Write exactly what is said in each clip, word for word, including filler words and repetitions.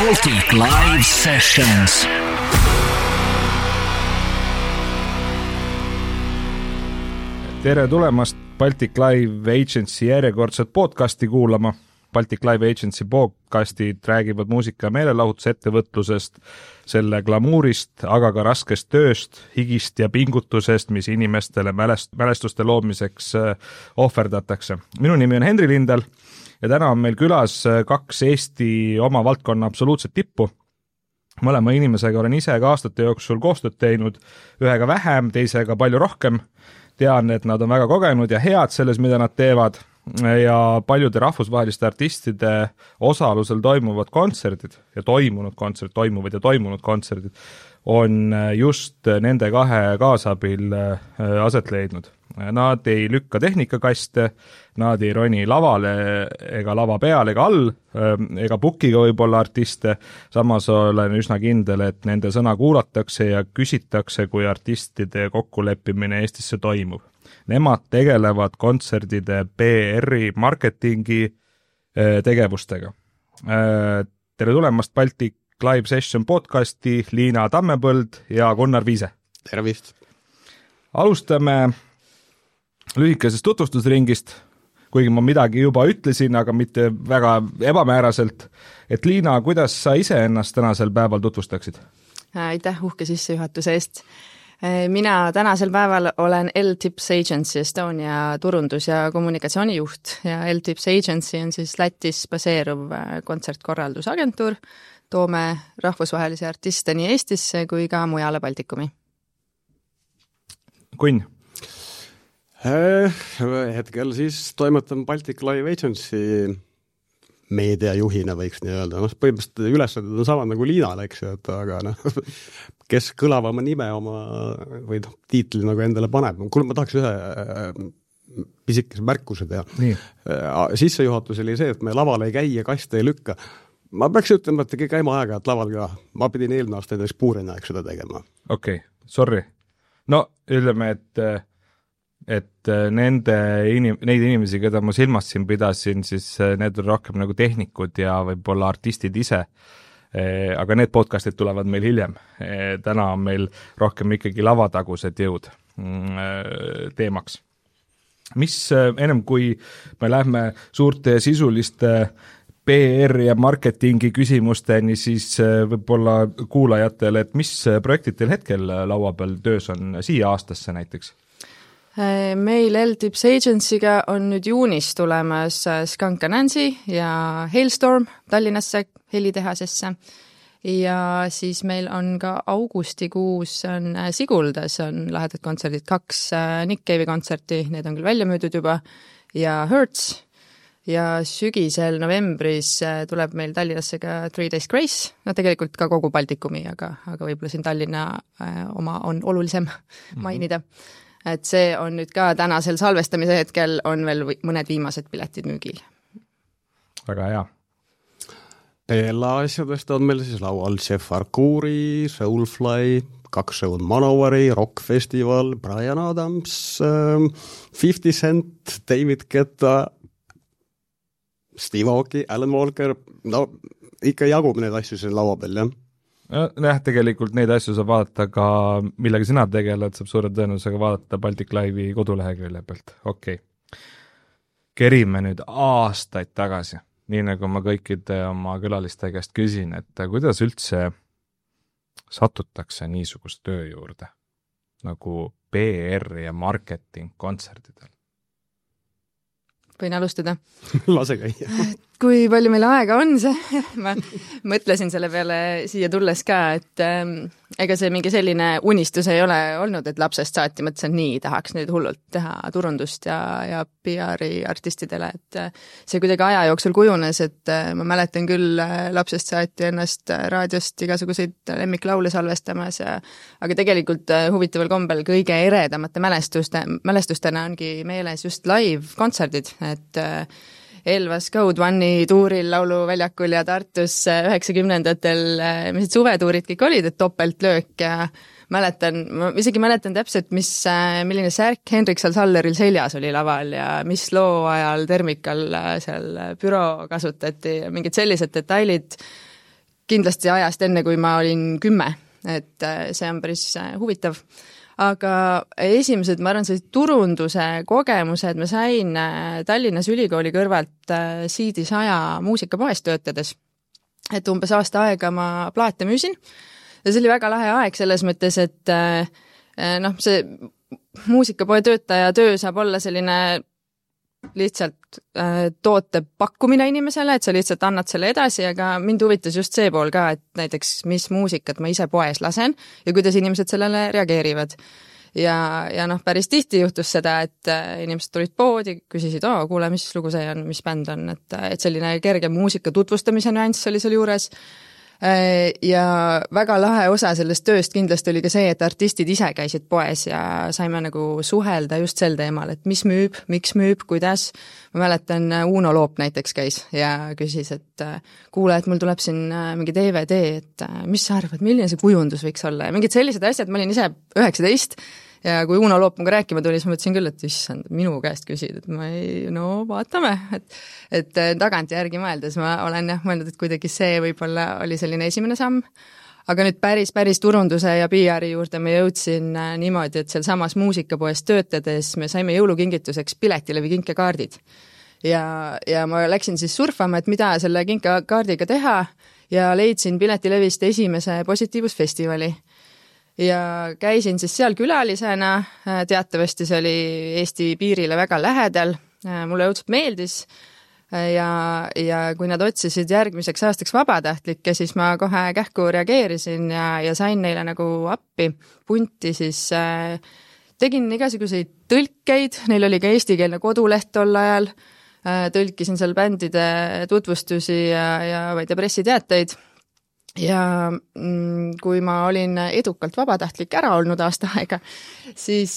Baltic Live Sessions. Tere tulemast Baltic Live Agency järjekordset podcasti kuulama. Baltic Live Agency podcastid räägivad muusika- ja meelelahutusettevõtlusest, selle glamuurist, aga ka raskest tööst, higist ja pingutusest, mis inimestele mälest, mälestuste loomiseks ohverdatakse. Minu nimi on Henri Lindal ja täna on meil külas kaks Eesti oma valdkonna absoluutset tippu. Mõlema inimesega olen ise ka aastate jooksul koostööd teinud, ühega vähem, teisega palju rohkem. Tean, et nad on väga kogenud ja head selles, mida nad teevad ja paljude rahvusvaheliste artistide osalusel toimuvad kontserdid ja toimunud kontserdid, toimuvad ja toimunud kontserdid on just nende kahe kaasabil aset leidnud. Nad ei lükka tehnikakaste, nad ei roni lavale ega lava peal ega all, ega bukiga võib-olla artiste, samas olen üsna kindel, et nende sõna kuulatakse ja küsitakse, kui artistide kokkuleppimine Eestisse toimub. Nemad tegelevad kontserdide P R-i marketingi tegevustega. Tere tulemast Baltic Live Session podcasti Liina Tammepõld ja Gunnar Viise. Tervist! Alustame lühikesest tutvustusringist, kuigi ma midagi juba ütlesin, aga mitte väga ebamääraselt. Et Liina, kuidas sa ise ennast tänasel päeval tutvustaksid? Aitäh uhke sissejuhatuse eest. Mina tänasel päeval olen L-Tips Agency Estonia turundus- ja kommunikatsioonijuht ja L-Tips Agency on siis Lätis baseeruv kontsertkorraldusagentuur. Toome rahvusvahelisi artiste nii Eestisse kui ka mujale Baltikumi. Kunn? Hetkel siis toimetan Baltic Live Agency meediajuhina võiks nii öelda. No, põhimõtteliselt ülesanded on sama nagu Liinal, eks ju, et aga no, kes kõlavama nime oma või no, tiitli nagu endale paneb. Kuule, ma tahaks ühe pisikese märkuse teha. Nii. Sissejuhatus oli see, et me laval ei käi ja kaste ei lükka. Ma peaks ütlema, et tegi käima aega, et laval ka. Ma pidin eelmine aasta endast puurina eks seda tegema. Okei, okay, sorry. No, ütleme, et et nende inim- neid inimesi, keda ma silmast siin pidasin, siis need on rohkem nagu tehnikud ja võib-olla artistid ise. Aga need podcastid tulevad meil hiljem. Täna on meil rohkem ikkagi lavatagused jõud teemaks. Mis ennem kui me lähme suurte sisuliste P R ja marketingi küsimusteni, siis võib-olla kuulajatele, et mis projektid teil hetkel laua peal töös on siia aastasse näiteks? Meil L-Tips Agency'ga on nüüd juunis tulemas Skunk Anansi ja Hailstorm Tallinnasse helitehasesse ja siis meil on ka augustikuus on Siguldas on lahedad kontserdid, kaks Nick Cave'i kontserti, need on küll välja müüdud juba ja Hertz ja sügisel novembris tuleb meil Tallinnasse ka Three Days Grace, no tegelikult ka kogu Baltikumi, aga, aga võib-olla siin Tallinna oma on olulisem mainida. Et see on nüüd ka tänasel salvestamise hetkel on veel mõned viimased piletid müügil. Väga hea. Teela asjadest on meil siis laual Jeff Arcuri, Soulfly, kaks show Manoware'i, Rock Festival, Bryan Adams, fifty Cent, David Guetta, Steve Aoki, Alan Walker, no ikka jagub need asju siin laua peal, jah. Jah, tegelikult neid asju saab vaadata ka, millega sina tegeled, saab suure tõenäosusega vaadata Baltic Live'i kodulehekülje pealt. Okei. Okay. Kerime nüüd aastaid tagasi, nii nagu ma kõikide oma külaliste käest küsin, et kuidas üldse satutakse niisugust töö juurde, nagu P R ja marketing kontserdidel? Võin alustada. Lase käia. Kui palju meil aega on see? Ma mõtlesin selle peale siia tulles ka, et ähm, ega see mingi selline unistus ei ole olnud, et lapsest saati mõtlesin, nii tahaks nüüd hullult teha turundust ja, ja P R-i artistidele, et äh, see kuidagi aja jooksul kujunes, et äh, ma mäletan küll äh, lapsest saati ennast äh, raadiost igasuguseid lemmiklaule salvestamas, ja, aga tegelikult äh, huvitaval kombel kõige eredamate mälestuste, mälestustena ongi meeles just live-kontserdid, et äh, Elvas Code One'i tuuril lauluväljakul ja Tartus üheksakümnendatel, mis suvetuurid kõik olid, et topeltlöök ja mäletan, ma isegi mäletan täpselt, mis, milline särk Henrik Salsalleril seljas oli laval ja mis loo ajal Termikal seal büroo kasutati ja mingid sellised detailid kindlasti ajast enne, kui ma olin kümme, et see on päris huvitav. Aga esimesed, ma arvan, sellised turunduse kogemused ma sain Tallinnas ülikooli kõrvalt C D saja muusikapoes töötades. Et umbes aasta aega ma plaate müüsin ja see oli väga lahe aeg selles mõttes, et noh, see muusikapoe töötaja töö saab olla selline lihtsalt toote pakkumine inimesele, et sa lihtsalt annad selle edasi, aga mind huvitas just see pool ka, et näiteks mis muusikat ma ise poes lasen ja kuidas inimesed sellele reageerivad. Ja, ja noh, päris tihti juhtus seda, et inimesed tulid poodi, küsisid, oo, kuule, mis lugu see on, mis bänd on, et, et selline kerge muusika tutvustamise nüanss oli seal juures. Ja väga lahe osa sellest tööst kindlasti oli ka see, et artistid ise käisid poes ja saime nagu suhelda just sel teemal, et mis müüb, miks müüb, kuidas. Ma mäletan, Uno Loop näiteks käis ja küsis, et kuule, et mul tuleb siin mingi D V D, et mis sa arvad, milline see kujundus võiks olla ja mingid sellised asjad, ma olin ise üheksateist ja kui Uno Loop muga rääkima tuli, siis ma mõtlesin küll, et issand, minu käest küsid, et ma ei, no vaatame, et, et tagant järgi mõeldes ma olen jah mõelnud, et kuidagi see võib-olla oli selline esimene samm, aga nüüd päris, päris turunduse ja P R-i juurde ma jõudsin niimoodi, et seal samas muusikapoes töötades me saime jõulukingituseks Piletilevi kinkekaardid ja, ja ma läksin siis surfama, et mida selle kinkekaardiga teha ja leidsin Piletilevist esimese Positiivusfestivali. Ja käisin siis seal külalisena, teatavasti see oli Eesti piirile väga lähedal, mulle õudselt meeldis ja, ja kui nad otsisid järgmiseks aastaks vabatahtlikke, siis ma kohe kähku reageerisin ja, ja sain neile nagu appi punti, siis äh, tegin igasuguseid tõlkeid, neil oli ka eestikeelne koduleht tol ajal, äh, tõlkisin seal bändide tutvustusi ja, ja vaid pressiteateid. Ja kui ma olin edukalt vabatahtlik ära olnud aasta aega, siis,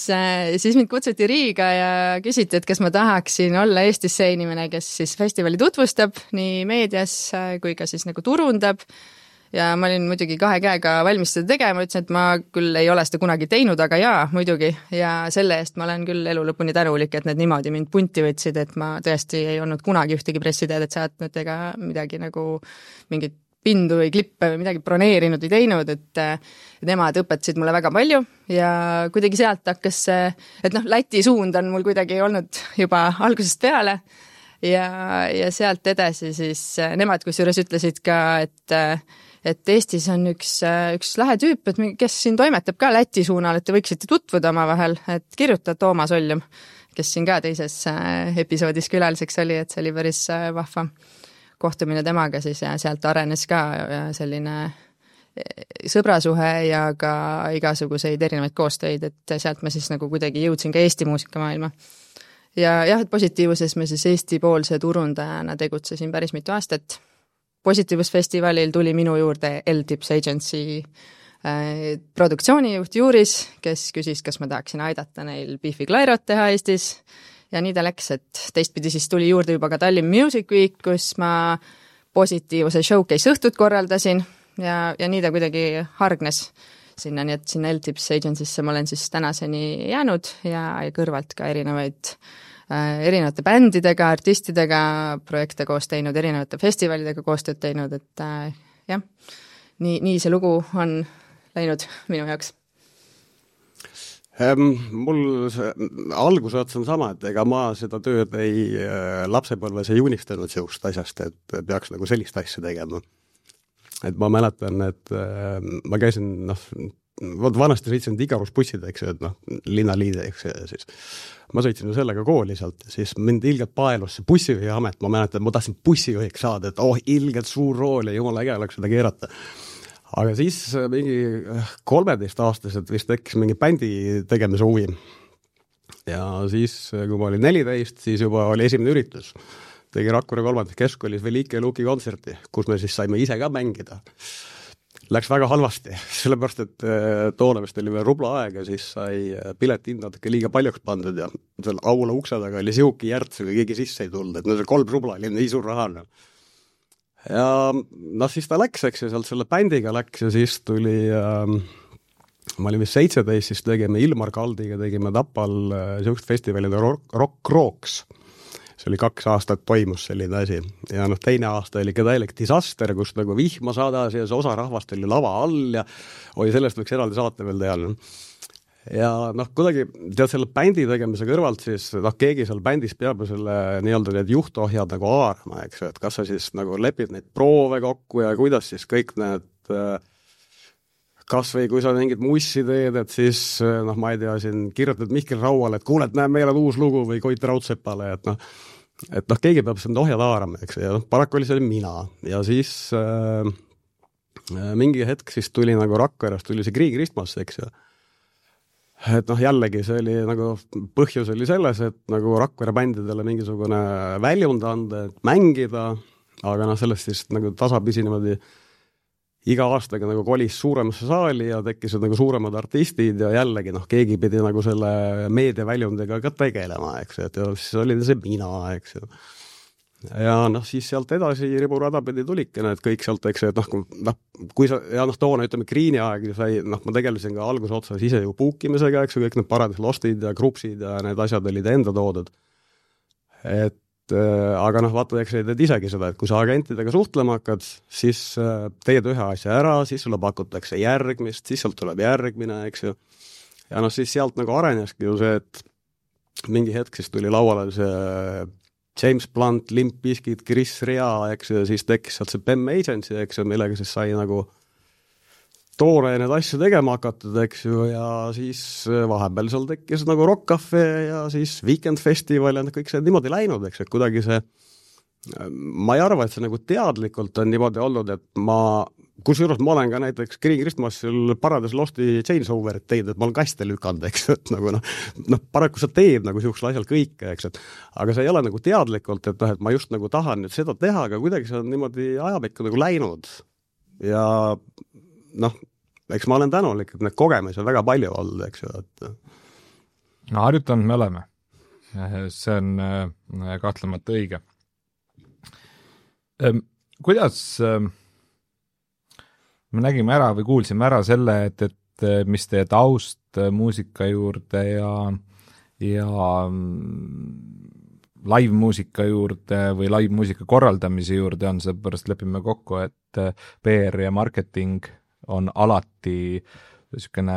siis mind kutsuti Riiga ja küsiti, et kas ma tahaksin olla Eestis see inimene, kes siis festivali tutvustab nii meedias kui ka siis nagu turundab. Ja ma olin muidugi kahe käega valmis seda tegema, ütlesin, et ma küll ei ole seda kunagi teinud, aga jaa, muidugi. Ja selle eest ma olen küll elu lõpuni tänulik, et need niimoodi mind punti võtsid, et ma tõesti ei olnud kunagi ühtegi pressiteadet saatnud ega midagi nagu mingit pindu või klippe või midagi broneerinud või teinud, et nemad õpetasid mulle väga palju ja kuidagi sealt hakkas see, et noh, Läti suund on mul kuidagi olnud juba algusest peale ja, ja sealt edasi siis nemad kusjuures ütlesid ka, et, et Eestis on üks, üks lahe tüüp, et kes siin toimetab ka Läti suunal, et te võiksite tutvuda omavahel, et kirjuta Toomas Oljum, kes siin ka teises episoodis külaliseks oli, et see oli päris vahva kohtumine temaga siis ja sealt arenes ka selline sõbrasuhe ja ka igasuguseid erinevaid koostöid, et sealt ma siis nagu kuidagi jõudsin ka Eesti muusikamaailma. Ja jah, et Positiivuses ma siis Eesti-poolse turundajana tegutsesin päris mitu aastat. Positiivusfestivalil tuli minu juurde L-Tips Agency produktsioonijuht Juuris, kes küsis, kas ma tahaksin aidata neil Beefy Clyrot teha Eestis. Ja nii ta läks, et teistpidi siis tuli juurde juba ka Tallinn Music Week, kus ma Positiivuse showcase õhtut korraldasin ja, ja nii ta kuidagi hargnes sinna, nii et sinna L-Tips Agency'sse ma olen siis tänaseni jäänud ja, ja kõrvalt ka erinevaid äh, erinevate bändidega, artistidega projekte koos teinud, erinevate festivalidega koostööd teinud, et äh, jah, nii, nii see lugu on läinud minu jaoks. Mul see, algused on sama, et ega ma seda tööd ei lapsepõlves ei unistanud seust asjast, et peaks nagu sellist asja tegema. Et ma mäletan, et ma käisin, noh, vanasti sõitsin igarusbussid, eks ju, et noh, linnaliide, eks ju, siis ma sõitsin sellega kooli sealt, siis mind ilgelt paelus see bussijuhi amet, ma mäletan, et ma tahtsin bussijuhiks saada, et oh, ilgelt suur rool ja jumala äge oleks seda keerata. Aga siis mingi kolmeteist aastaselt vist tekkis mingi bändi tegemise huvi. Ja siis, kui ma olin neliteist, siis juba oli esimene üritus. Tegi Rakvere kolmandas keskkoolis Velike Luki kontserti, kus me siis saime ise ka mängida. Läks väga halvasti, sellepärast, et toona vist oli veel rubla aega, siis sai piletihind natuke liiga paljuks pandud ja seal aula ukse taga oli sihuki järts, kui keegi sisse ei tulnud, et no see kolm rubla oli nii suur raha. Ja noh, siis ta läks, eks ja sealt selle bändiga läks ja siis tuli, äh, ma olin vist seitseteist, siis tegime Ilmar Kaldiga, tegime Tapal äh, siukest festivalide Rock, rock Rocks. See see oli kaks aastat toimus selline asi. Ja noh, teine aasta oli ka täielik disaster, kus nagu vihma sadas ja see osa rahvast oli lava all ja oi, sellest võiks eraldi saate veel teha. Ja noh, kuidagi tead selle bändi tegemise kõrvalt siis noh, keegi seal bändis peab selle nii-öelda need juhtohjad nagu aarama, eks, et kas sa siis nagu lepid neid proove kokku ja kuidas siis kõik need kas või kui sa mingid mussi teed, et siis noh, ma ei tea, siin kirjutad Mihkel Rauale, et kuule, et näe, meil on uus lugu või Koit Raudsepale, et noh, et noh, keegi peab seda ohjad haarama, eks, ja noh, paraku oli see mina ja siis äh, mingi hetk siis tuli nagu Rakverast, tuli see Green Christmas, eks ju. Et noh, jällegi see oli nagu, põhjus oli selles, et nagu Rakvere bändidele mingisugune väljund anda, et mängida, aga noh, sellest siis nagu tasapisi niimoodi iga aastaga nagu kolis suuremasse saali ja tekkisid nagu suuremad artistid ja jällegi noh, keegi pidi nagu selle meediaväljundega ka tegelema, eks, et ja siis oli see mina, eks ju. Ja noh, siis sealt edasi riburada pidi tulike, et kõik sealt, eks, et noh, noh, kui sa, ja noh, toona ütleme Greeni aeg sai, noh, ma tegelesin ka alguse otsas ise ju puukimisega, eks ju, kõik need Paradise Lostid ja Grupsid ja need asjad olid enda toodud. Et äh, aga noh, vaata, eks teed isegi seda, et kui sa agentidega suhtlema hakkad, siis äh, teed ühe asja ära, siis sulle pakutakse järgmist, siis sealt tuleb järgmine, eks ju. Ja noh, siis sealt nagu areneski ju see, et mingi hetk siis tuli lauale see James Blunt, Limp Bizkit, Chris Rea, eks, ja siis tekkis sealt see B E M Agency, eks, millega siis sai nagu toore need asju tegema hakatud, eks ju, ja siis vahepeal seal tekkis nagu Rock Cafe ja siis Weekend Festival ja kõik see niimoodi läinud, eks, et kuidagi see, ma ei arva, et see nagu teadlikult on niimoodi olnud, et ma, kusjuures ma olen ka näiteks Green Christmasil Paradise Losti changeoverit teinud, et ma olen kaste lükanud, eks, et nagu noh, noh, paraku sa teed nagu siuksel asjal kõike, eks, et aga see ei ole nagu teadlikult, et noh, et ma just nagu tahan nüüd seda teha, aga kuidagi see on niimoodi ajapikku nagu läinud ja noh, eks ma olen tänulik, et need kogemusi on väga palju olnud, eks ju, et no harjutanud me oleme. See on kahtlemata õige. Kuidas me nägime ära või kuulsime ära selle, et, et mis teie taust muusika juurde ja, ja live-muusika juurde või live-muusika korraldamise juurde on, seepärast lepime kokku, et P R ja marketing on alati niisugune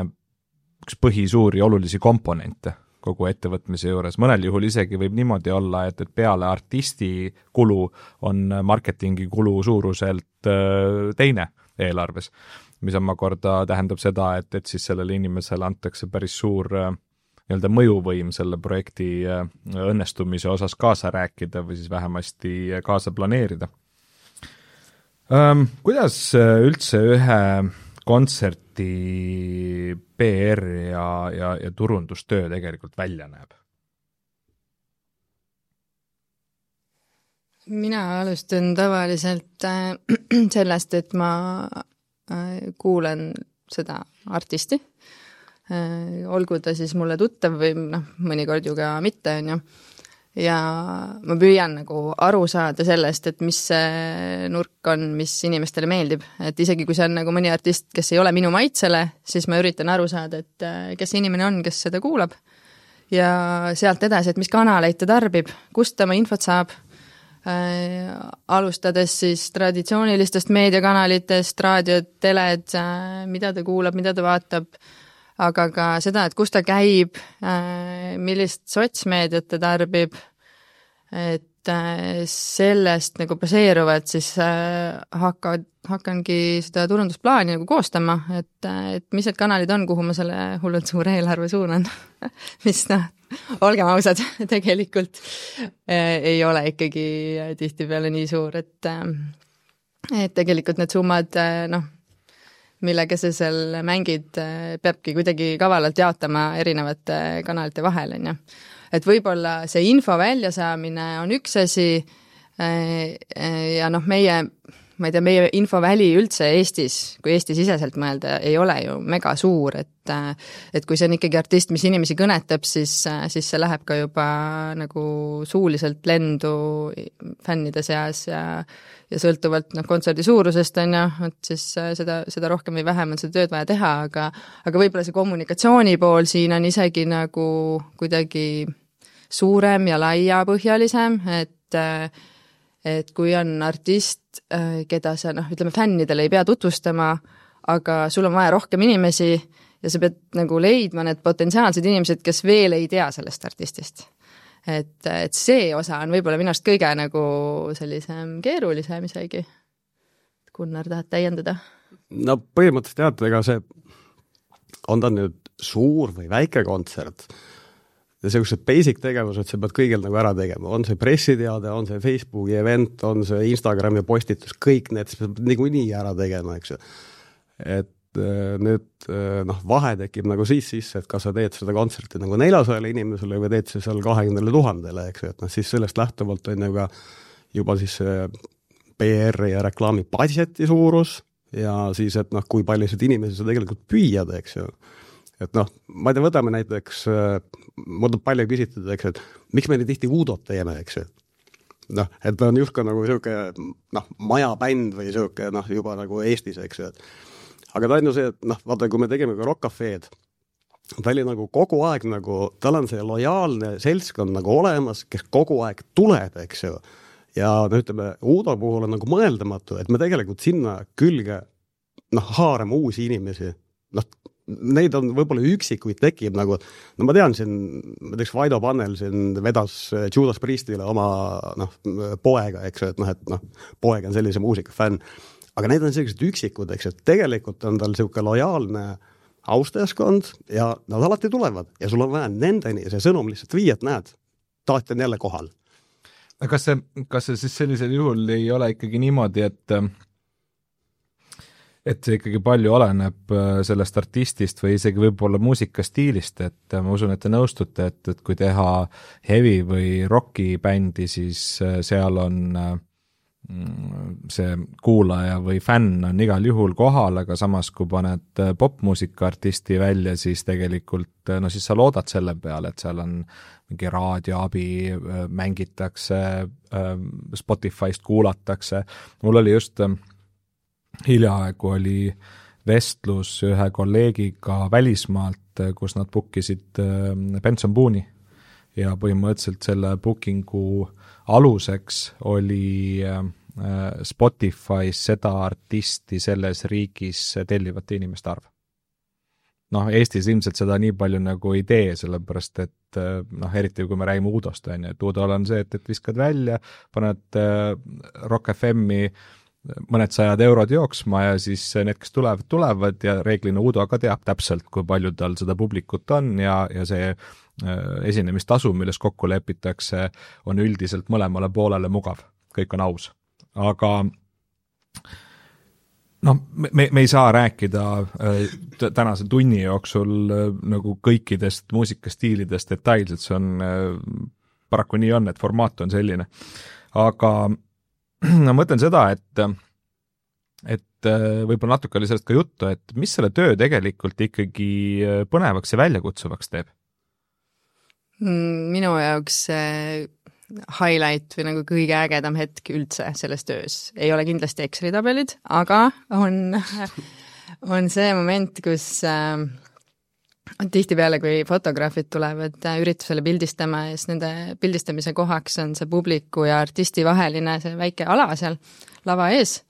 üks põhisuuri olulisi komponente kogu ettevõtmise juures. Mõnel juhul isegi võib niimoodi olla, et, et peale artisti kulu on marketingi kulu suuruselt teine eelarves, mis omakorda tähendab seda, et, et siis sellele inimesele antakse päris suur nii-öelda mõjuvõim selle projekti õnnestumise osas kaasa rääkida või siis vähemasti kaasa planeerida. Um, kuidas üldse ühe kontserti P R ja, ja, ja turundustöö tegelikult välja näeb? Mina alustan tavaliselt äh, sellest, et ma äh, kuulen seda artisti, äh, olgu ta siis mulle tuttav või noh, mõnikord ju ka mitte, on ju. Ja ma püüan nagu aru saada sellest, et mis see nurk on, mis inimestele meeldib. Et isegi kui see on nagu mõni artist, kes ei ole minu maitsele, siis ma üritan aru saada, et kes see inimene on, kes seda kuulab. Ja sealt edasi, et mis kanaleid ta tarbib, kust ta oma infot saab. Äh, alustades siis traditsioonilistest meediakanalitest, raadiod, teled, äh, mida ta kuulab, mida ta vaatab, aga ka seda, et kus ta käib, äh, millist sotsmeediat ta tarbib, et äh, sellest nagu baseeruvad, siis äh, hakkad, hakkangi seda turundusplaani nagu koostama, et, äh, et mis need kanalid on, kuhu ma selle hullult suure eelarve suunan, mis noh, olgem ausad, tegelikult äh, ei ole ikkagi tihtipeale nii suur, et, äh, et tegelikult need summad, äh, noh, millega sa seal mängid, äh, peabki kuidagi kavalalt jaotama erinevate kanalite vahel, on ju. Et võib-olla see info väljasaamine on üks asi äh, ja noh, meie ma ei tea, meie infoväli üldse Eestis, kui Eesti siseselt mõelda, ei ole ju mega suur, et, et kui see on ikkagi artist, mis inimesi kõnetab, siis, siis see läheb ka juba nagu suuliselt lendu fännide seas ja, ja sõltuvalt noh, kontserdi suurusest on ju, et siis seda, seda rohkem või vähem on seda tööd vaja teha, aga, aga võib-olla see kommunikatsiooni pool siin on isegi nagu kuidagi suurem ja laiapõhjalisem, et, et kui on artist, keda sa, noh, ütleme, fännidele ei pea tutvustama, aga sul on vaja rohkem inimesi ja sa pead nagu leidma need potentsiaalsed inimesed, kes veel ei tea sellest artistist. Et, et see osa on võib-olla minu arust kõige nagu sellisem keerulisem isegi. Gunnar, tahad täiendada? No põhimõtteliselt tead, ega see on ta nüüd suur või väike kontsert ja sellised basic tegevused sa pead kõigil nagu ära tegema. On see pressiteade, on see Facebooki event, on see Instagrami postitus, kõik need sa pead niikuinii ära tegema, eks ju. Et nüüd noh, vahe tekib nagu siis sisse, et kas sa teed seda kontserti nagu neljasajale inimesele või teed see seal kahekümnele tuhandele, eks ju, et noh, siis sellest lähtuvalt on ju ka juba siis P R ja reklaami budgeti suurus ja siis, et noh, kui paljusid inimesi sa tegelikult püüad, eks ju. Et noh, ma ei tea, võtame näiteks, mul on palju küsitud, eks, et miks me nii tihti Udot teeme, eks ju. Noh, et ta on justkui nagu siuke, noh, majabänd või siuke, noh, juba nagu Eestis, eks ju. Aga ta on ju see, et noh, vaata, kui me tegime ka Rock Cafe'd, ta oli nagu kogu aeg nagu, tal on see lojaalne seltskond nagu olemas, kes kogu aeg tuleb, eks ju. Ja no ütleme, Udo puhul on nagu mõeldamatu, et me tegelikult sinna külge noh, haarame uusi inimesi. Noh, neid on võib-olla üksikuid tekib nagu, no ma tean siin, ma teeks Vaido Pannel siin vedas Judas Priestile oma noh, poega, eks ju, et noh, et noh, poeg on sellise muusika fänn. Aga need on sellised üksikud, eks, et tegelikult on tal selline lojaalne austajaskond ja nad alati tulevad ja sul on vaja nendeni see sõnum lihtsalt viia, et näed, taat on jälle kohal. Kas see, kas see siis sellisel juhul ei ole ikkagi niimoodi, et et see ikkagi palju oleneb sellest artistist või isegi võib-olla muusikastiilist, et ma usun, et te nõustute, et, et kui teha heavy või rocki bändi, siis seal on see kuulaja või fänn on igal juhul kohal, aga samas kui paned popmuusika artisti välja, siis tegelikult, no siis sa loodad selle peale, et seal on mingi raadioabi, mängitakse, Spotify'st kuulatakse. Mul oli just hiljaaegu oli vestlus ühe kolleegiga välismaalt, kus nad bookisid Benson Boone'i ja põhimõtteliselt selle bookingu aluseks oli Spotify's seda artisti selles riigis tellivate inimeste arv. Noh, Eestis ilmselt seda nii palju nagu ei tee, sellepärast et noh, eriti kui me räägime Udost, on ju, et Udol on see, et, et viskad välja, paned Rock F M-i mõned sajad eurod jooksma ja siis need, kes tulevad, tulevad ja reeglina Udo ka teab täpselt, kui palju tal seda publikut on ja, ja see esinemistasu, milles kokku lepitakse, on üldiselt mõlemale poolele mugav. Kõik on aus. Aga no, me, me ei saa rääkida äh, tänase tunni jooksul äh, nagu kõikidest muusikastiilidest detailselt, see on äh, paraku nii on, et formaat on selline. Aga ma mõtlen seda, et, et võib-olla natuke oli sellest ka juttu, et mis selle töö tegelikult ikkagi põnevaks ja väljakutsuvaks teeb? Minu jaoks highlight või nagu kõige ägedam hetk üldse selles töös ei ole kindlasti Exceli tabelid, aga on, on see moment, kus äh, tihtipeale, kui fotograafid tulevad üritusele pildistama ja siis nende pildistamise kohaks on see publiku ja artisti vaheline see väike ala seal lava ees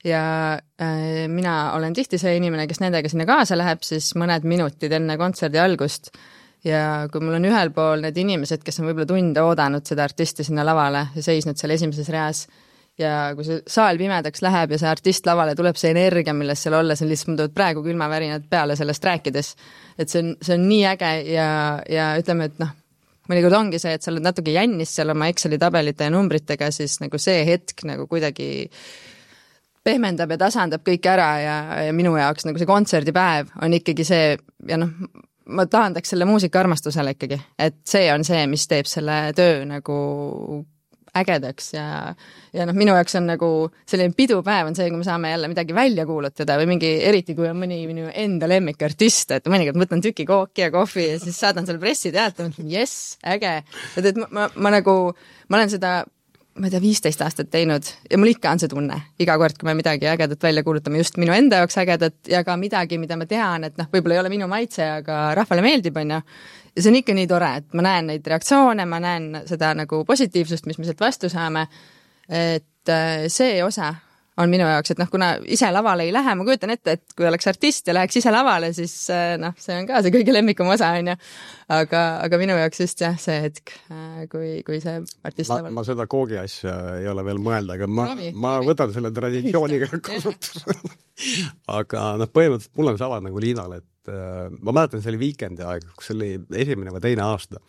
ja äh, mina olen tihti see inimene, kes nendega sinna kaasa läheb siis mõned minutid enne kontserdi algust ja kui mul on ühel pool need inimesed, kes on võib-olla tunde oodanud seda artisti sinna lavale ja seisnud seal esimeses reas ja kui see saal pimedaks läheb ja see artist lavale tuleb see energia, milles seal olla, see on lihtsalt, mul tulevad praegu külmavärinad peale sellest rääkides, et see on, see on nii äge ja, ja ütleme, et noh, mõnikord ongi see, et sa oled natuke jännis seal oma Exceli tabelite ja numbritega, siis nagu see hetk nagu kuidagi pehmendab ja tasandab kõik ära ja, ja minu jaoks nagu see kontserdipäev on ikkagi see ja noh, ma tahandaks selle muusika armastusele ikkagi, et see on see, mis teeb selle töö nagu ägedaks ja, ja noh, minu jaoks on nagu selline pidupäev on see, kui me saame jälle midagi välja kuulutada või mingi, eriti kui on mõni minu enda lemmikartist, et mõnikord võtan tüki kooki ja kohvi ja siis saadan selle pressiteate, mõtlen, jess, äge, et, et ma, ma, ma nagu, ma olen seda ma ei tea, viisteist aastat teinud ja mul ikka on see tunne iga kord, kui me midagi ägedat välja kuulutame, just minu enda jaoks ägedat ja ka midagi, mida ma tean, et noh, võib-olla ei ole minu maitse, aga rahvale meeldib, on ju. Ja see on ikka nii tore, et ma näen neid reaktsioone, ma näen seda nagu positiivsust, mis me sealt vastu saame, et see osa on minu jaoks, et noh, kuna ise lavale ei lähe, ma kujutan ette, et kui oleks artist ja läheks ise lavale, siis noh, see on ka see kõige lemmikum osa, on ju. Aga, aga minu jaoks just jah, see hetk, kui, kui see artist ma, laval. ma seda koogi asja ei ole veel mõelda, aga ma, Ravi, ma Ravi. võtan selle traditsiooniga kasutusele. Aga noh, põhimõtteliselt mul on sama nagu Liinal, et äh, ma mäletan, see oli Weekendi aeg, kus oli esimene või teine aasta.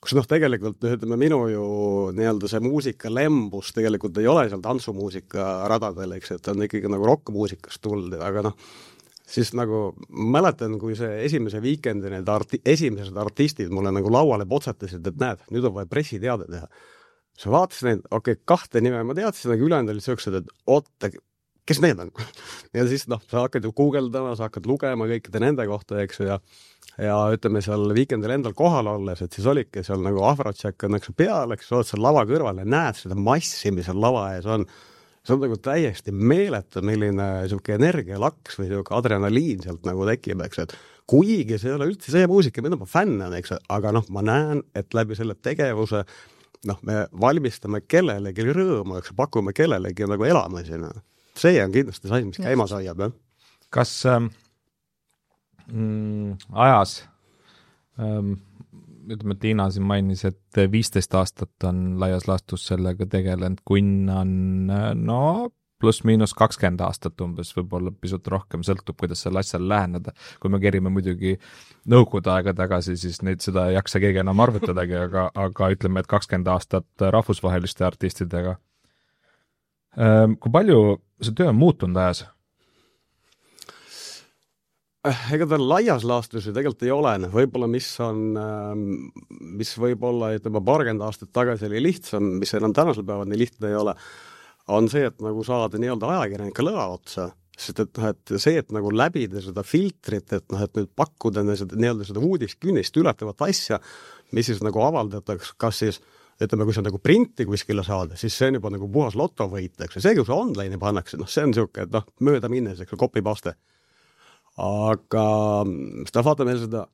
Kus noh, tegelikult ütleme, minu ju nii-öelda see muusika lembus tegelikult ei ole seal tantsumuusika radadel, eks, et on ikkagi nagu rockmuusikast tulnud, aga noh, siis nagu mäletan, kui see esimese Weekendi need arti- esimesed artistid mulle nagu lauale potsatasid, et näed, nüüd on vaja pressiteade teha. Sa vaatasid neid, okei, okay, kahte nime ma teadsin, aga ülejäänud olid sööksed, et oota, kes need on? Ja siis noh, sa hakkad ju guugeldama, sa hakkad lugema kõikide nende kohta, eks, ja ja ütleme seal Weekendil endal kohal olles, et siis olidki seal nagu Afrotšek on eks peal, eks oled seal lava kõrval ja näed seda massi, mis seal lava ees on. See on nagu täiesti meeletu, milline siuke energialaks või siuke adrenaliin sealt nagu tekib, eks, et kuigi see ei ole üldse see muusika, mida ma fänn on, eks, aga noh, ma näen, et läbi selle tegevuse noh, me valmistame kellelegi rõõmu, eks, pakume kellelegi nagu elama sinna. See on kindlasti see, mis käima saiab, jah. Kas ähm... Mm, ajas ähm, ütleme, et Tiina siin mainis, et viisteist aastat on laias laastus sellega tegelenud, Kunn on no pluss miinus kakskümmend aastat umbes, võib-olla pisut rohkem, sõltub, kuidas selle asjale läheneda. Kui me kerime muidugi nõukogude aega tagasi, siis neid seda ei jaksa keegi enam arvutadagi, aga, aga ütleme, et kakskümmend aastat rahvusvaheliste artistidega. Ähm, kui palju see töö on muutunud ajas? Ega ta laias laastus ju tegelikult ei ole, võib-olla mis on, mis võib-olla ütleme paarkümmend aastat tagasi oli lihtsam, mis enam tänasel päeval nii lihtne ei ole, on see, et nagu saada nii-öelda ajakirjanika lõa otsa, sest et, et see, et nagu läbida seda filtrit, et noh, et nüüd pakkuda seda, nii-öelda seda uudiskünnist ületavat asja, mis siis nagu avaldatakse, kas siis ütleme, kui see on nagu printi kuskile saada, siis see on juba nagu puhas lotovõit, eks, see, kui see online'i pannakse, noh, see on siuke, et noh, mööda minnes, eks, copy-paste. Aga seda vaata meil seda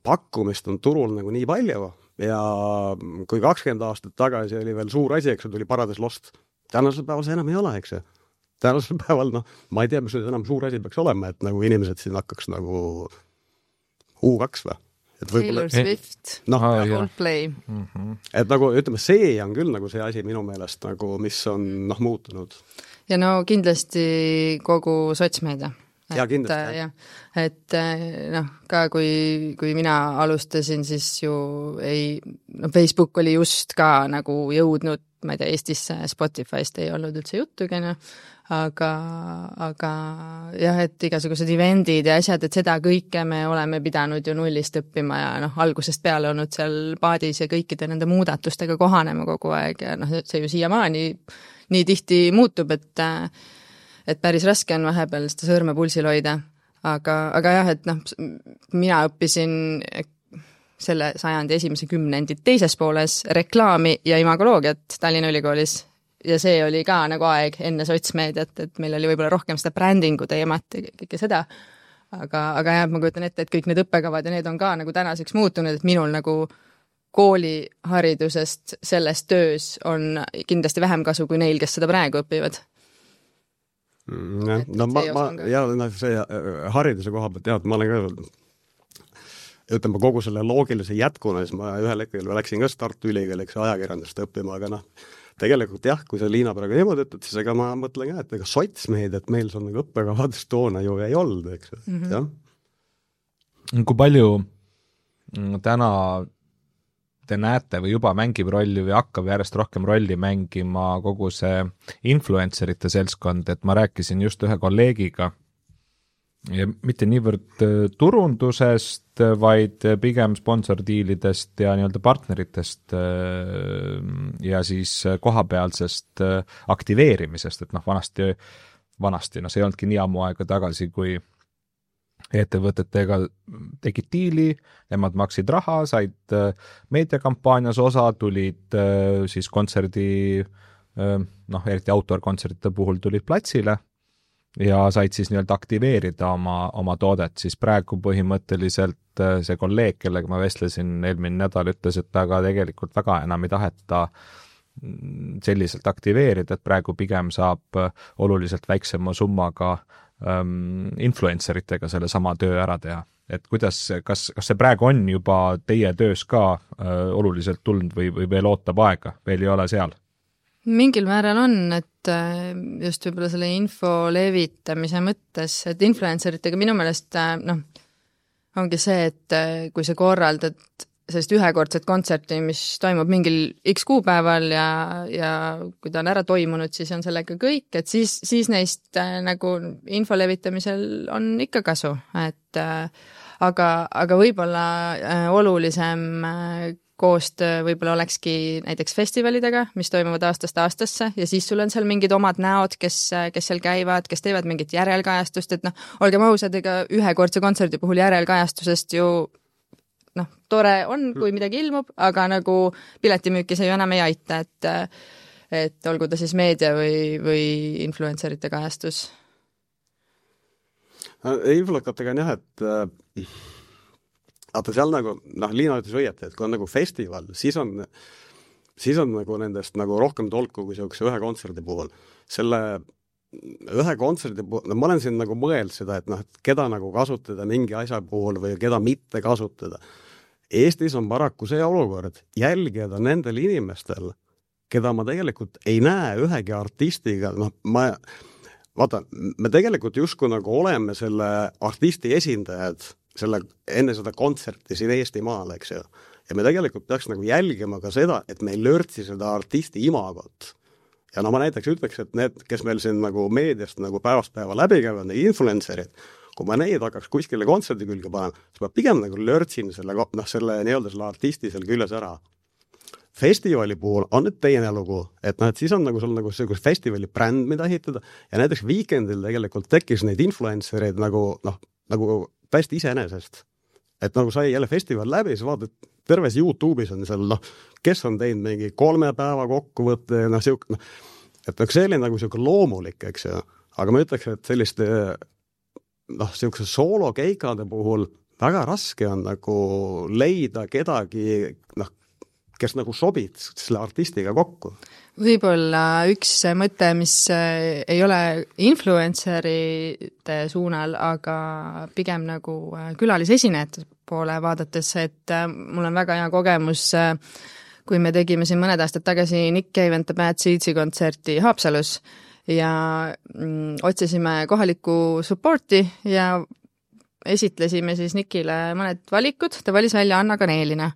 pakkumist on turul nagu nii palju ja kui kakskümmend aastat tagasi oli veel suur asi, eks, tuli Paradise Lost. Tänasel päeval see enam ei ole, eks. Tänasel päeval, noh, ma ei tea, mis enam suur asi peaks olema, et nagu inimesed siin hakkaks nagu U kaks või? Taylor Swift, no, Coldplay. Mm-hmm. Et nagu, ütleme, see on küll nagu see asi minu meelest, nagu, mis on noh, muutunud. Ja no kindlasti kogu sotsmeedia. Ja kindlasti, jah. Et noh, ka kui, kui mina alustasin, siis ju ei, no Facebook oli just ka nagu jõudnud, ma ei tea, Eestisse Spotify'st ei olnud üldse juttugi, no. aga, aga jah, et igasugused eventid ja asjad, et seda kõike me oleme pidanud ju nullist õppima ja noh, algusest peale olnud seal paadis ja kõikide nende muudatustega kohanema kogu aeg ja noh, see ju siiamaani nii tihti muutub, et et päris raske on vahepeal seda sõrme pulsil hoida, aga, aga jah, et noh, mina õppisin selle sajandi esimese kümnendi teises pooles reklaami ja imagoloogiat Tallinna Ülikoolis ja see oli ka nagu aeg enne sotsmeediat, et meil oli võib-olla rohkem seda brändingu teemat ja kõike seda, aga, aga jah, ma kujutan ette, et kõik need õppekavad ja need on ka nagu tänaseks muutunud, et minul nagu kooliharidusest selles töös on kindlasti vähem kasu kui neil, kes seda praegu õpivad. Ja, no ma, ma, ja no, see hariduse koha pealt, jah, ma olen ka ütleme kogu selle loogilise jätkuna, siis ma ühel hetkel läksin ka Tartu Ülikooliks ajakirjandust õppima, aga noh, tegelikult jah, kui see Liina praegu niimoodi ütled, siis ega ma mõtlen ka, et ega sotsmeid, et meil on nagu õppekavadest toona ju ei olnud, eks, mm-hmm. jah. Kui palju täna te näete või juba mängib rolli või hakkab järjest rohkem rolli mängima kogu see influencerite seltskond, et ma rääkisin just ühe kolleegiga ja mitte niivõrd turundusest, vaid pigem sponsordiilidest ja nii-öelda partneritest ja siis kohapealsest aktiveerimisest, et noh, vanasti, vanasti, no see ei olnudki nii ammu aega tagasi, kui ettevõtetega tegid diili, nemad maksid raha, said meediakampaanias osa, tulid siis kontserdi, noh, eriti outdoor-kontsertide puhul tulid platsile ja said siis nii-öelda aktiveerida oma, oma toodet, siis praegu põhimõtteliselt see kolleeg, kellega ma vestlesin eelmine nädal, ütles, et aga tegelikult väga enam ei taheta selliselt aktiveerida, et praegu pigem saab oluliselt väiksema summaga um, influenceritega selle sama töö ära teha. Et kuidas, kas, kas see praegu on juba teie töös ka uh, oluliselt tulnud või, või veel ootab aega, veel ei ole seal? Mingil määral on, et just võib-olla selle info levitamise mõttes, et influenceritega minu meelest noh, ongi see, et kui sa korraldad sellist ühekordset kontserti, mis toimub mingil X kuupäeval ja, ja kui ta on ära toimunud, siis on sellega kõik, et siis, siis neist nagu info levitamisel on ikka kasu, et aga, aga võib-olla olulisem koostöö võib-olla olekski näiteks festivalidega, mis toimuvad aastast aastasse ja siis sul on seal mingid omad näod, kes, kes seal käivad, kes teevad mingit järelkajastust, et noh, olgem ausad, ega ühekordse kontserdi puhul järelkajastusest ju noh, tore on, kui midagi ilmub, aga nagu piletimüüki see ju enam ei aita, et, et olgu ta siis meedia või, või influencerite kajastus. Influkatega on jah, et aga seal nagu, noh, Liina ütles õieti, et kui on nagu festival, siis on, siis on nagu nendest nagu rohkem tolku kui sellise ühe kontserdi puhul. Selle ühe kontserdi puhul, no ma olen siin nagu mõeld seda, et noh, et keda nagu kasutada mingi asja puhul või keda mitte kasutada. Eestis on paraku see olukord jälgida nendel inimestel, keda ma tegelikult ei näe ühegi artistiga, noh, ma vaata, me tegelikult justkui nagu oleme selle artisti esindajad selle, enne seda kontserti siin Eestimaal, eks ju. Ja me tegelikult peaks nagu jälgima ka seda, et me ei lörtsi seda artisti imagot. Ja no ma näiteks ütleks, et need, kes meil siin nagu meediast nagu päevast päeva läbi käivad, need influencerid, kui ma neid hakkaks kuskile kontserdi külge panema, siis ma pigem nagu lörtsin selle, noh, selle nii-öelda selle artisti seal küljes ära. Festivali puhul on nüüd teine lugu, et noh, et siis on nagu sul nagu see festivali bränd, mida ehitada ja näiteks Weekendil tegelikult tekkis neid influencereid nagu, noh, nagu täiesti iseenesest. Et nagu sai jälle festival läbi, sa vaatad, terves YouTube'is on seal, noh, kes on teinud mingi kolme päeva kokkuvõtte, noh, siuk, noh, et see oli nagu siuke loomulik, eks ju. Aga ma ütleks, et selliste, noh, siukse soolokeikade puhul väga raske on nagu leida kedagi, noh, kes nagu sobid selle artistiga kokku. Võib-olla üks mõte, mis ei ole influencerite suunal, aga pigem nagu külalisesinejate poole vaadates, et mul on väga hea kogemus, kui me tegime siin mõned aastad tagasi Nick Cave and the Bad Seedsi kontserti Haapsalus ja mm, otsisime kohalikku supporti ja esitlesime siis Nickile mõned valikud, ta valis välja Anna Kaneelina.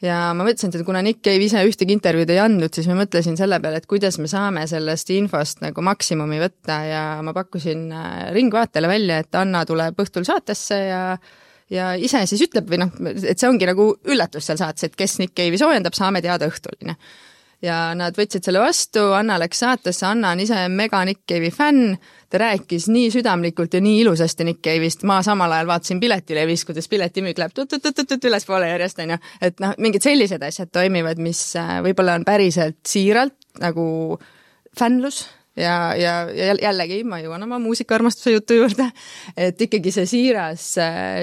Ja ma mõtlesin, et kuna Nick Cave ise ühtegi intervjuud ei andnud, siis ma mõtlesin selle peale, et kuidas me saame sellest infost nagu maksimumi võtta ja ma pakkusin Ringvaatele välja, et Anna tuleb õhtul saatesse ja, ja ise siis ütleb, või noh, et see ongi nagu üllatus seal saates, et kes Nick Cave'i soojendab, saame teada õhtuline. Ja nad võtsid selle vastu, Anna läks saatesse, Anna on ise mega Nick Cave'i fänn, ta rääkis nii südamlikult ja nii ilusasti Nick Cave'ist, ma samal ajal vaatasin piletilevis, kuidas piletimüük läheb tut-tut-tut-tut üles poole järjest, on ju, et noh, mingid sellised asjad toimivad, mis võib-olla on päriselt siiralt nagu fännlus ja, ja, ja jällegi ma jõuan oma muusikaarmastuse jutu juurde, et ikkagi see siiras,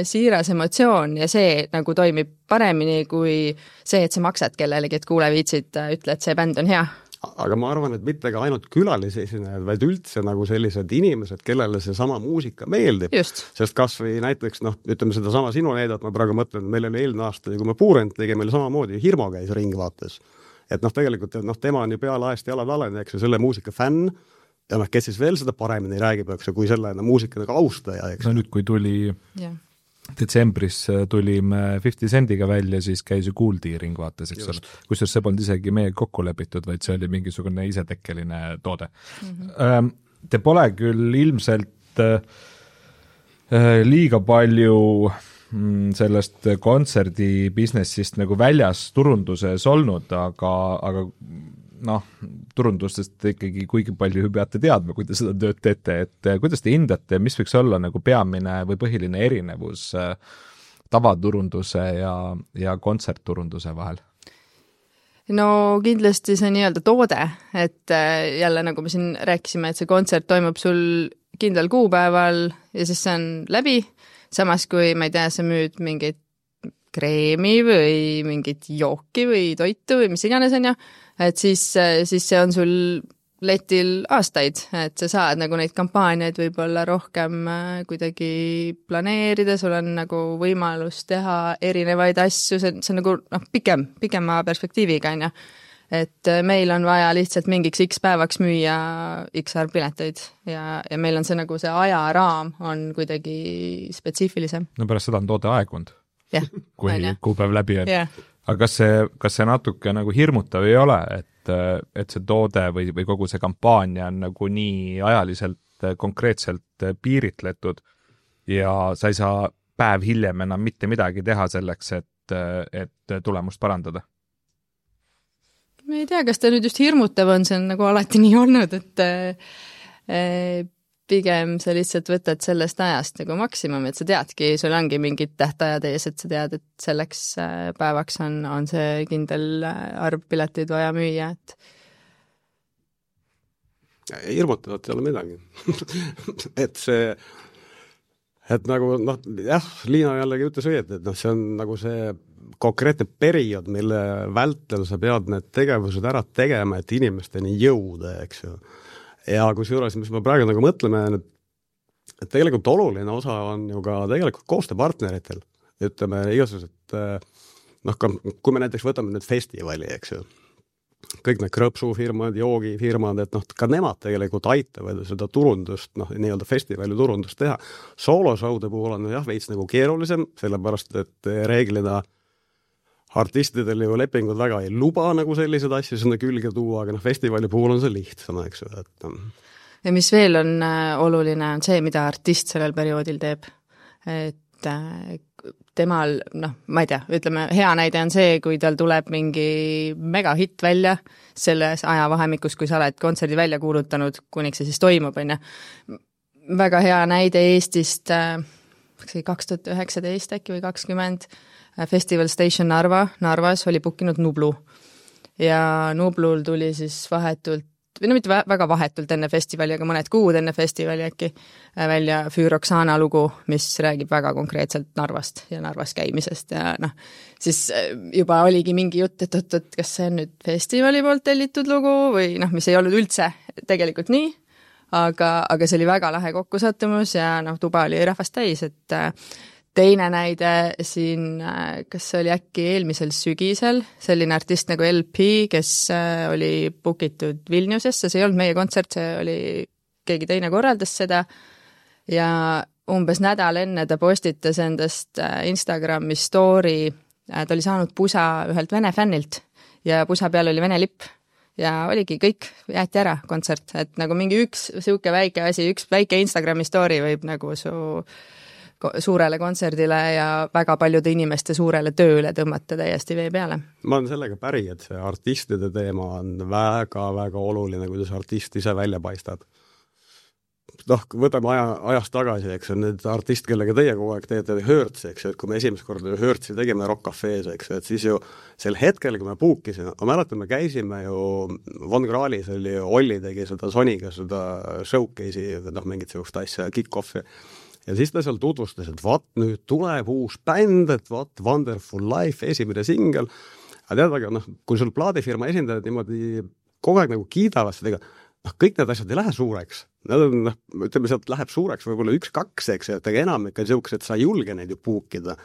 siiras emotsioon ja see nagu toimib paremini kui see, et sa maksad kellelegi, et kuule viitsid, ütle, et see bänd on hea. Aga ma arvan, et mitte ka ainult külalisesinejad, vaid üldse nagu sellised inimesed, kellele see sama muusika meeldib. Just. Sest kas või näiteks, noh, ütleme seda sama sinu näidat, ma praegu mõtlen, meil oli eelmine aasta, kui me Puurent tegi, meil samamoodi Hirmo käis Ringvaates. Et noh, tegelikult noh, tema on ju peale aest jalad alene, eks ju, selle muusika fänn ja noh, kes siis veel seda paremini räägib, eks ju, kui selle no, muusika nagu austaja, eks. No nüüd, kui tuli yeah. detsembris tulime fifty Cent'iga välja, siis käis ju Kuuldi Ringvaates, eks ole. Kusjuures see polnud isegi meie kokku lepitud, vaid see oli mingisugune isetekkeline toode. Mm-hmm. Te pole küll ilmselt liiga palju sellest kontserdi businessist nagu väljas turunduses olnud, aga, aga noh, turundustest ikkagi kuigi palju peate teadma, kui te seda tööd teete, et kuidas te hindate, mis võiks olla nagu peamine või põhiline erinevus tavaturunduse ja, ja kontsertturunduse vahel? No kindlasti see nii-öelda toode, et jälle nagu me siin rääkisime, et see kontsert toimub sul kindlal kuupäeval ja siis see on läbi, samas kui, ma ei tea, sa müüd mingit kreemi või mingit jooki või toitu või mis iganes on ju, et siis, siis see on sul letil aastaid, et sa saad nagu neid kampaaniaid võib-olla rohkem kuidagi planeerida, sul on nagu võimalus teha erinevaid asju, see, see on nagu noh, pikem, pikema perspektiiviga on ju, et meil on vaja lihtsalt mingiks X päevaks müüa X arv pileteid ja, ja meil on see nagu see ajaraam on kuidagi spetsiifilisem. No pärast seda on toode aegunud. Yeah, kui kuupäev läbi on. Yeah. Aga kas see, kas see natuke nagu hirmutav ei ole, et, et see toode või, või kogu see kampaania on nagu nii ajaliselt konkreetselt piiritletud ja sa ei saa päev hiljem enam mitte midagi teha selleks, et, et tulemust parandada? Ma ei tea, kas ta nüüd just hirmutav on, see on nagu alati nii olnud, et äh, pigem sa lihtsalt võtad sellest ajast nagu maksimum, et sa teadki, sul ongi mingid tähtajad ees, et sa tead, et selleks päevaks on, on see kindel arv pileteid vaja müüa, et hirmutavat ei ole midagi. et see, et nagu, noh, jah, Liina jällegi ütles õieti, et noh, see on nagu see konkreetne periood, mille vältel sa pead need tegevused ära tegema, et inimesteni jõuda, eks ju. Ja kui seejuures, mis me praegu nagu mõtleme, et tegelikult oluline osa on ju ka tegelikult koostööpartneritel, ütleme igasugused, noh, kui me näiteks võtame nüüd festivali, eks ju, kõik need krõpsufirmad, joogifirmad, et noh, ka nemad tegelikult aitavad seda turundust, noh, nii-öelda festivali turundust teha. Soolosaude puhul on jah, veits nagu keerulisem, sellepärast, et reeglina artistidel ju lepingud väga ei luba nagu sellised asju sinna külge tuua, aga noh, festivali puhul on see lihtsam, eks ju. Et... ja mis veel on oluline, on see, mida artist sellel perioodil teeb. Et temal, noh, ma ei tea, ütleme, hea näide on see, kui tal tuleb mingi megahitt välja selles ajavahemikus, kui sa oled kontserdi välja kuulutanud, kuniks see siis toimub, on ju. Väga hea näide Eestist kaks tuhat üheksateist äkki või kakskümmend Festival Station Narva, Narvas oli bookinud Nublu ja Nublul tuli siis vahetult, või no mitte väga vahetult enne festivali, aga mõned kuud enne festivali äkki välja Füüroksana lugu, mis räägib väga konkreetselt Narvast ja Narvas käimisest ja noh, siis juba oligi mingi jutt, et, et, et kas see on nüüd festivali poolt tellitud lugu või noh, mis ei olnud üldse tegelikult nii, aga, aga see oli väga lahe kokkusattumus ja noh, tuba oli rahvast täis, et teine näide siin, kas see oli äkki eelmisel sügisel, selline artist nagu L P, kes oli bookitud Vilniusesse, see ei olnud meie kontsert, see oli keegi teine korraldas seda ja umbes nädal enne ta postitas endast Instagrami story, ta oli saanud pusa ühelt vene fännilt ja pusa peal oli vene lipp ja oligi kõik, jäeti ära kontsert, et nagu mingi üks siuke väike asi, üks väike Instagrami story võib nagu su suurele kontserdile ja väga paljude inimeste suurele tööle tõmmata täiesti vee peale. Ma olen sellega päri, et see artistide teema on väga-väga oluline, kuidas artist ise välja paistad. Noh, võtame aja, ajast tagasi, eks, need artist, kellega teie kogu aeg teete Hörts, eks, et kui me esimest korda Hörtsi tegime Rock Cafe's, eks, et siis ju sel hetkel, kui me puukisime, ma mäletan, me käisime ju Von Krahlis oli, Olli tegi seda Soniga, seda showcase'i, noh, mingit sellist asja, kick-off'i. Ja siis ta seal tutvustas, et vaat nüüd tuleb uus bänd, et vaat Wonderful Life, esimene singel. Aga tead, aga noh, kui sul plaadifirma esindajad niimoodi kogu aeg nagu kiidavad seda, noh, kõik need asjad ei lähe suureks. Nad on, noh, ütleme, sealt läheb suureks võib-olla üks-kaks, eks, et enam ikka siuks, et sa ei julge neid ju puukida.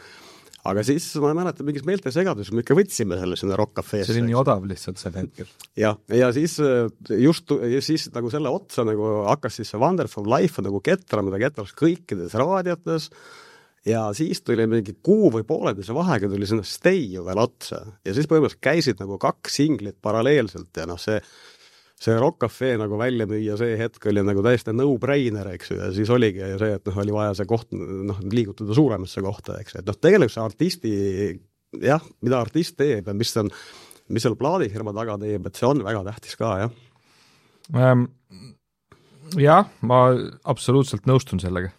Aga siis ma mäletan mingis meeltesegadus, me ikka võtsime selle sinna Rock Cafe'sse. See oli nii odav lihtsalt sel hetkel. Ja, ja siis just ja siis nagu selle otsa nagu hakkas siis see Wonderful Life nagu ketrama, ta ketras kõikides raadiotes ja siis tuli mingi kuu või pooledese vahega tuli sinna Stay ju veel otsa ja siis põhimõtteliselt käisid nagu kaks singlit paralleelselt ja noh, see see Rock Cafe nagu välja müüa see hetk oli nagu täiesti no-brainer, eks ju, ja siis oligi see, et noh, oli vaja see koht, noh, liigutada suuremasse kohta, eks, et noh, tegelikult see artisti, jah, mida artist teeb ja mis on mis seal plaadifirma taga teeb, et see on väga tähtis ka, jah ähm,. Jah, ma absoluutselt nõustun sellega,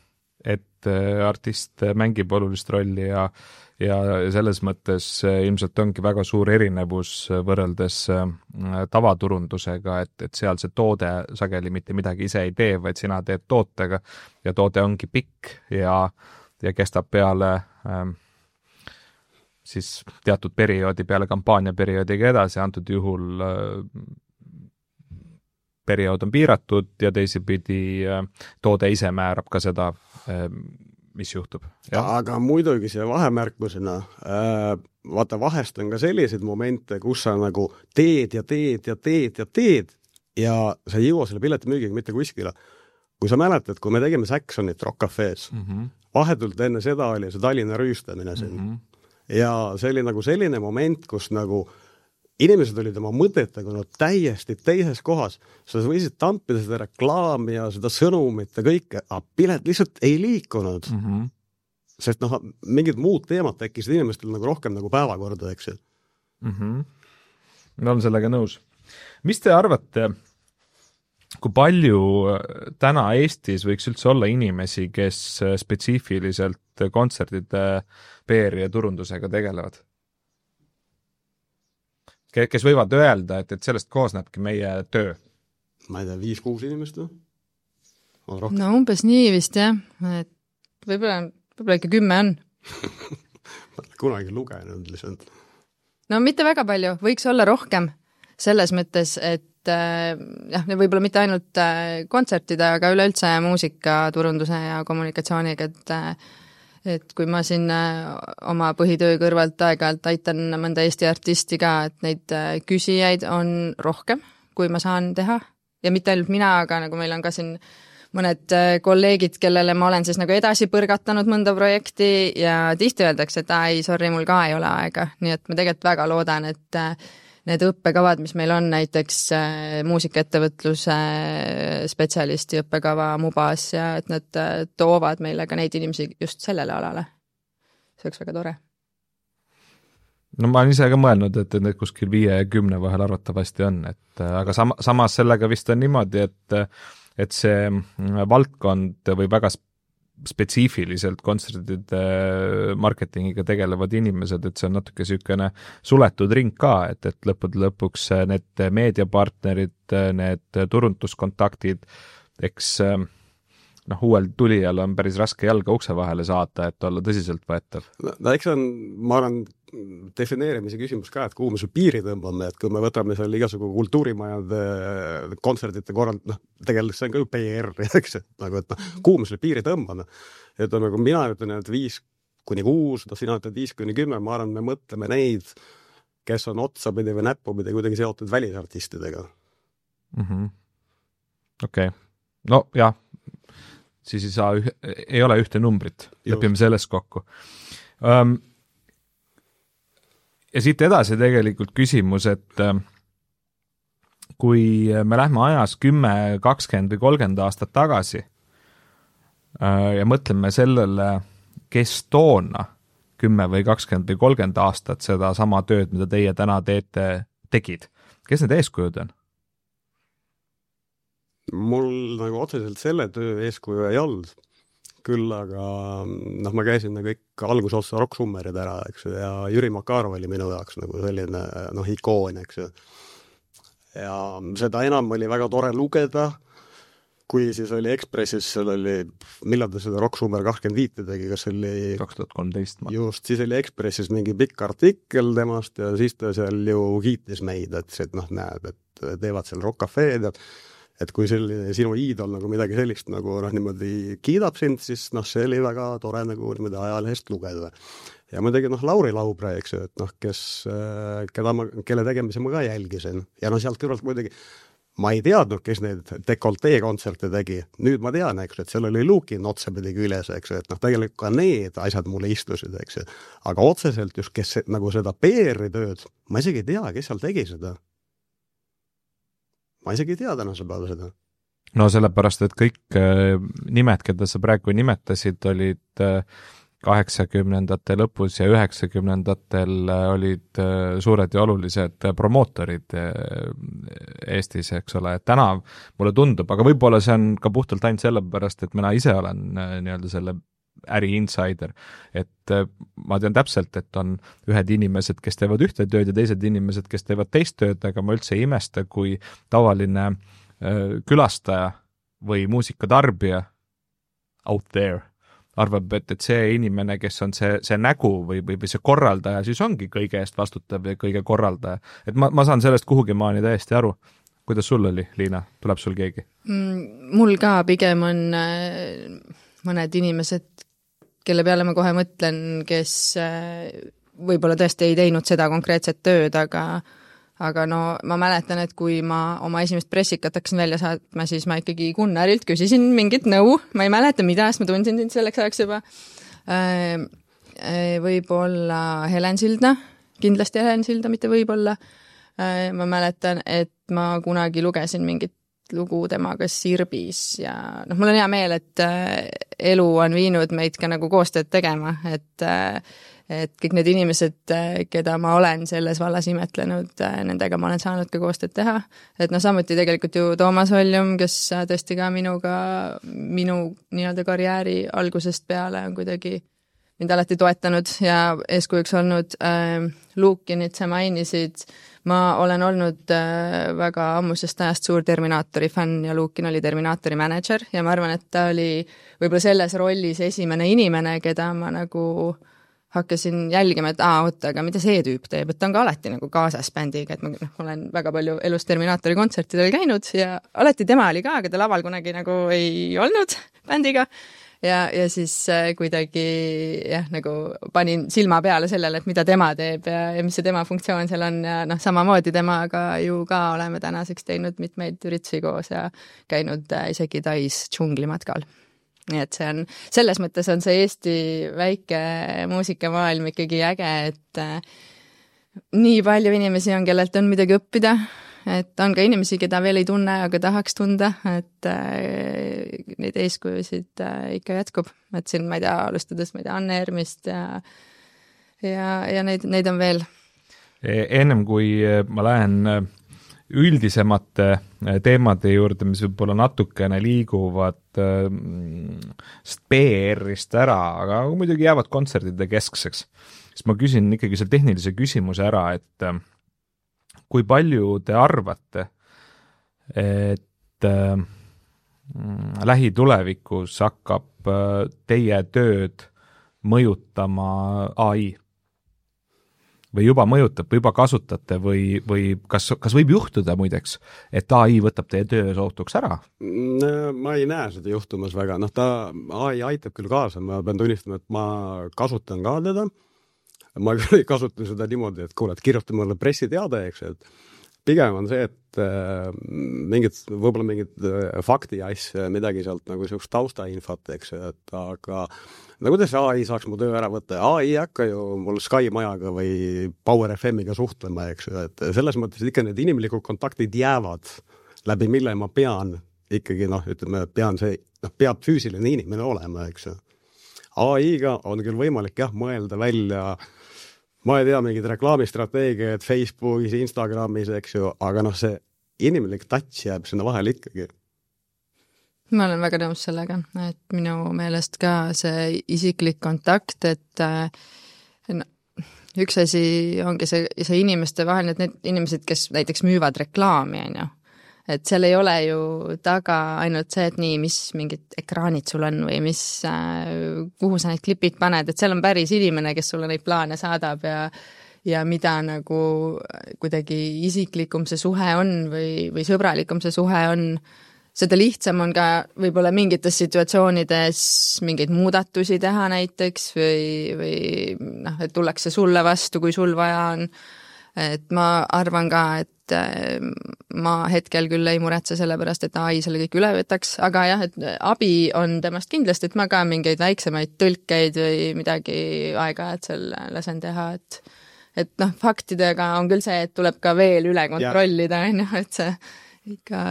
et artist mängib olulist rolli ja ja selles mõttes ilmselt ongi väga suur erinevus võrreldes tavaturundusega, et, et seal see toode sageli mitte midagi ise ei tee, vaid sina teed tootega ja toode ongi pikk ja, ja kestab peale ähm, siis teatud perioodi, peale kampaaniaperioodiga edasi, antud juhul äh, periood on piiratud ja teisipidi äh, toode ise määrab ka seda äh, mis juhtub. Ja. Aga muidugi see vahemärkusena, äh, vaata vahest on ka selliseid momente, kus sa nagu teed ja teed ja teed ja teed ja sa ei jõua selle pileti müügiga mitte kuskile. Kui sa mäletad, kui me tegime Saxonit Rock Cafe's, mm -hmm. vahetult enne seda oli see Tallinna rüüstamine siin. Mm -hmm. Ja see oli nagu selline moment, kus nagu inimesed olid oma mõtetega no, täiesti teises kohas. Sa võisid tampida seda reklaami ja seda sõnumit ja kõike, aga pilet lihtsalt ei liikunud. Mm -hmm. Sest noh, mingid muud teemad tekkisid inimestel nagu rohkem nagu päevakorda, eks ju. Mm -hmm. Ma olen sellega nõus. Mis te arvate, kui palju täna Eestis võiks üldse olla inimesi, kes spetsiifiliselt kontserdide P R ja turundusega tegelevad? Kes võivad öelda, et, et sellest koosnebki meie töö? Ma ei tea, viis-kuus inimest või? No umbes nii vist jah, et võib-olla, võib-olla ikka kümme on. Ma olen kunagi lugenud lihtsalt. No mitte väga palju, võiks olla rohkem selles mõttes, et jah, võib-olla mitte ainult kontsertide, aga üleüldse muusika, turunduse ja kommunikatsiooniga, et et kui ma siin oma põhitöö kõrvalt aeg-ajalt aitan mõnda Eesti artisti ka, et neid küsijaid on rohkem, kui ma saan teha. Ja mitte ainult mina, aga nagu meil on ka siin mõned kolleegid, kellele ma olen siis nagu edasi põrgatanud mõnda projekti ja tihti öeldakse, et ei, sorry, mul ka ei ole aega. Nii et ma tegelikult väga loodan, et need õppekavad, mis meil on näiteks muusikaettevõtluse spetsialisti õppekava Mubas ja et nad toovad meile ka neid inimesi just sellele alale. See oleks väga tore. No ma olen ise ka mõelnud, et need kuskil viie ja kümne vahel arvatavasti on, et aga sam samas sellega vist on niimoodi, et, et see valdkond või väga spetsiifiliselt kontserdide marketingiga tegelevad inimesed, et see on natuke sükene suletud ring ka, et, et lõppude lõpuks need meediapartnerid, need turunduskontaktid, eks noh, uuel tulijal on päris raske jalga ukse vahele saata, et olla tõsiselt võetav. No eks on, ma arvan, defineerimise küsimus ka, et kuhu me su piiri tõmbame, et kui me võtame seal igasugu kultuurimajade kontserdite korrald, noh, tegelikult see on ka ju P R, eks, et nagu, et noh, kuhu me selle piiri tõmbame. Et on nagu mina ütlen, et viis kuni kuus, no sina ütled viis kuni kümme, ma arvan, me mõtleme neid, kes on otsapidi või näppupidi kuidagi seotud välisartistidega. Mm-hmm. Okei. Okay. No jah, siis ei saa, üh ei ole ühte numbrit, lepime selles kokku. Um, ja siit edasi tegelikult küsimus, et kui me lähme ajas kümme, kakskümmend või kolmkümmend aastat tagasi ja mõtleme sellele, kes toona kümme või kakskümmend või kolmkümmend aastat seda sama tööd, mida teie täna teete, tegid, kes need eeskujud on? Mul nagu otseselt selle töö eeskuju ei olnud. Küll aga noh, ma käisin nagu ikka algusotsa rock-summerid ära, eks ju, ja Jüri Makarov oli minu jaoks nagu selline noh, ikoon, eks ju. Ja seda enam oli väga tore lugeda, kui siis oli Ekspressis, seal oli, millal ta seda rock-summer kakskümmend viis tegi, kas oli kaks tuhat kolmteist just, siis oli Ekspressis mingi pikk artikkel temast ja siis ta seal ju kiitis meid, et, et noh, näeb, et teevad seal Rock Cafe'd ja et kui selline sinu iidol nagu midagi sellist nagu noh, niimoodi kiidab sind, siis noh, see oli väga tore nagu niimoodi ajalehest lugeda. Ja muidugi noh, Lauri Laubre, eks ju, et noh, kes, keda ma, kelle tegemise ma ka jälgisin. Ja noh, sealt kõrvalt muidugi ma ei teadnud, kes need dekoltee kontserte tegi. Nüüd ma tean, eks ju, et seal oli Luukin otsapidi küljes, eks ju, et noh, tegelikult ka need asjad mulle istusid, eks ju. Aga otseselt just, kes nagu seda P R-i tööd, ma isegi ei tea, kes seal tegi seda. Ma isegi ei tea tänase päeva seda. No sellepärast, et kõik nimed, keda sa praegu nimetasid, olid kaheksakümnendate lõpus ja üheksakümnendatel olid suured ja olulised promootorid Eestis, eks ole, et täna mulle tundub, aga võib-olla see on ka puhtalt ainult sellepärast, et mina ise olen nii-öelda selle äri insider, et ma tean täpselt, et on ühed inimesed, kes teevad ühte tööd ja teised inimesed, kes teevad teist tööd, aga ma üldse ei imesta, kui tavaline külastaja või muusikatarbija out there arvab, et, et see inimene, kes on see, see nägu või, või, või see korraldaja, siis ongi kõige eest vastutav ja kõige korraldaja. Et ma, ma saan sellest kuhugi maani täiesti aru. Kuidas sul oli, Liina? Tuleb sul keegi? Mm, mul ka pigem on mõned inimesed, kelle peale ma kohe mõtlen, kes võib-olla tõesti ei teinud seda konkreetset tööd, aga, aga no ma mäletan, et kui ma oma esimest pressikat hakkasin välja saatma, siis ma ikkagi Gunnarilt küsisin mingit nõu, ma ei mäleta mida, sest ma tundsin sind selleks ajaks juba. Võib-olla Helen Sildna, kindlasti Helen Silda, mitte võib-olla. Ma mäletan, et ma kunagi lugesin mingit lugu temaga Sirbis ja noh, mul on hea meel, et elu on viinud meid ka nagu koostööd tegema, et, et kõik need inimesed, keda ma olen selles vallas imetlenud, nendega ma olen saanud ka koostööd teha. Et noh, samuti tegelikult ju Toomas Oljum, kes tõesti ka minuga, minu nii-öelda karjääri algusest peale on kuidagi mind alati toetanud ja eeskujuks olnud. Luukinit sa mainisid, ma olen olnud väga ammusest ajast suur Terminaatori fänn ja Luukin oli Terminaatori manager ja ma arvan, et ta oli võib-olla selles rollis esimene inimene, keda ma nagu hakkasin jälgima, et aa, oota, aga mida see tüüp teeb, et ta on ka alati nagu kaasas bändiga, et ma no, olen väga palju elus Terminaatori kontsertidel käinud ja alati tema oli ka, aga ta laval kunagi nagu ei olnud bändiga. Ja, ja siis kuidagi jah, nagu panin silma peale sellele, et mida tema teeb ja, ja mis see tema funktsioon seal on ja noh, samamoodi temaga ju ka oleme tänaseks teinud mitmeid üritusi koos ja käinud isegi Tais džunglimatkal. Nii et see on, selles mõttes on see Eesti väike muusikamaailm ikkagi äge, et nii palju inimesi on, kellelt on midagi õppida, et on ka inimesi, keda veel ei tunne, aga tahaks tunda, et äh, neid eeskujusid äh, ikka jätkub. Et siin, ma ei tea, alustades, ma ei tea, Anne Ermist ja, ja, ja neid, neid on veel. Ennem kui ma lähen üldisemate teemade juurde, mis võib-olla natukene liiguvad P R-ist ära, aga muidugi jäävad kontserdide keskseks, siis ma küsin ikkagi selle tehnilise küsimuse ära, et kui palju te arvate, et äh, lähitulevikus hakkab äh, teie tööd mõjutama A I? Või juba mõjutab, või juba kasutate, või, või kas, kas võib juhtuda muideks, et A I võtab teie töö sootuks ära? Ma ei näe seda juhtumas väga. Noh, ta A I aitab küll kaasa, ma pean tunnistama, et ma kasutan ka teda. Ma küll ei kasuta seda niimoodi, et kuule, et kirjuta mulle pressiteade, eks, et pigem on see, et äh, mingid, võib-olla mingid äh, fakti asja, midagi sealt nagu sellist taustainfot, eks, et aga no kuidas A I saaks mu töö ära võtta? A I hakka ju mul Sky Majaga või Power F M-iga suhtlema, eks, et selles mõttes ikka need inimlikud kontaktid jäävad, läbi mille ma pean ikkagi, noh, ütleme, pean see, noh, peab füüsiline inimene olema, eks. A I-ga on küll võimalik jah, mõelda välja ma ei tea, mingid reklaamistrateegiad Facebookis, Instagramis, eks ju, aga noh, see inimlik touch jääb sinna vahel ikkagi. Ma olen väga nõus sellega, et minu meelest ka see isiklik kontakt, et no, üks asi ongi see, see inimeste vahel, et need inimesed, kes näiteks müüvad reklaami, on ju, et seal ei ole ju taga ainult see, et nii, mis mingid ekraanid sul on või mis, kuhu sa neid klipid paned, et seal on päris inimene, kes sulle neid plaane saadab ja, ja mida nagu kuidagi isiklikum see suhe on või, või sõbralikum see suhe on, seda lihtsam on ka võib-olla mingites situatsioonides mingeid muudatusi teha näiteks või, või noh, et tullakse sulle vastu, kui sul vaja on. Et ma arvan ka, et ma hetkel küll ei muretse selle pärast, et A I selle kõik üle võtaks, aga jah, et abi on temast kindlasti, et ma ka mingeid väiksemaid tõlkeid või midagi aega, et seal lasen teha, et et noh, faktidega on küll see, et tuleb ka veel üle kontrollida, on ju, et see ikka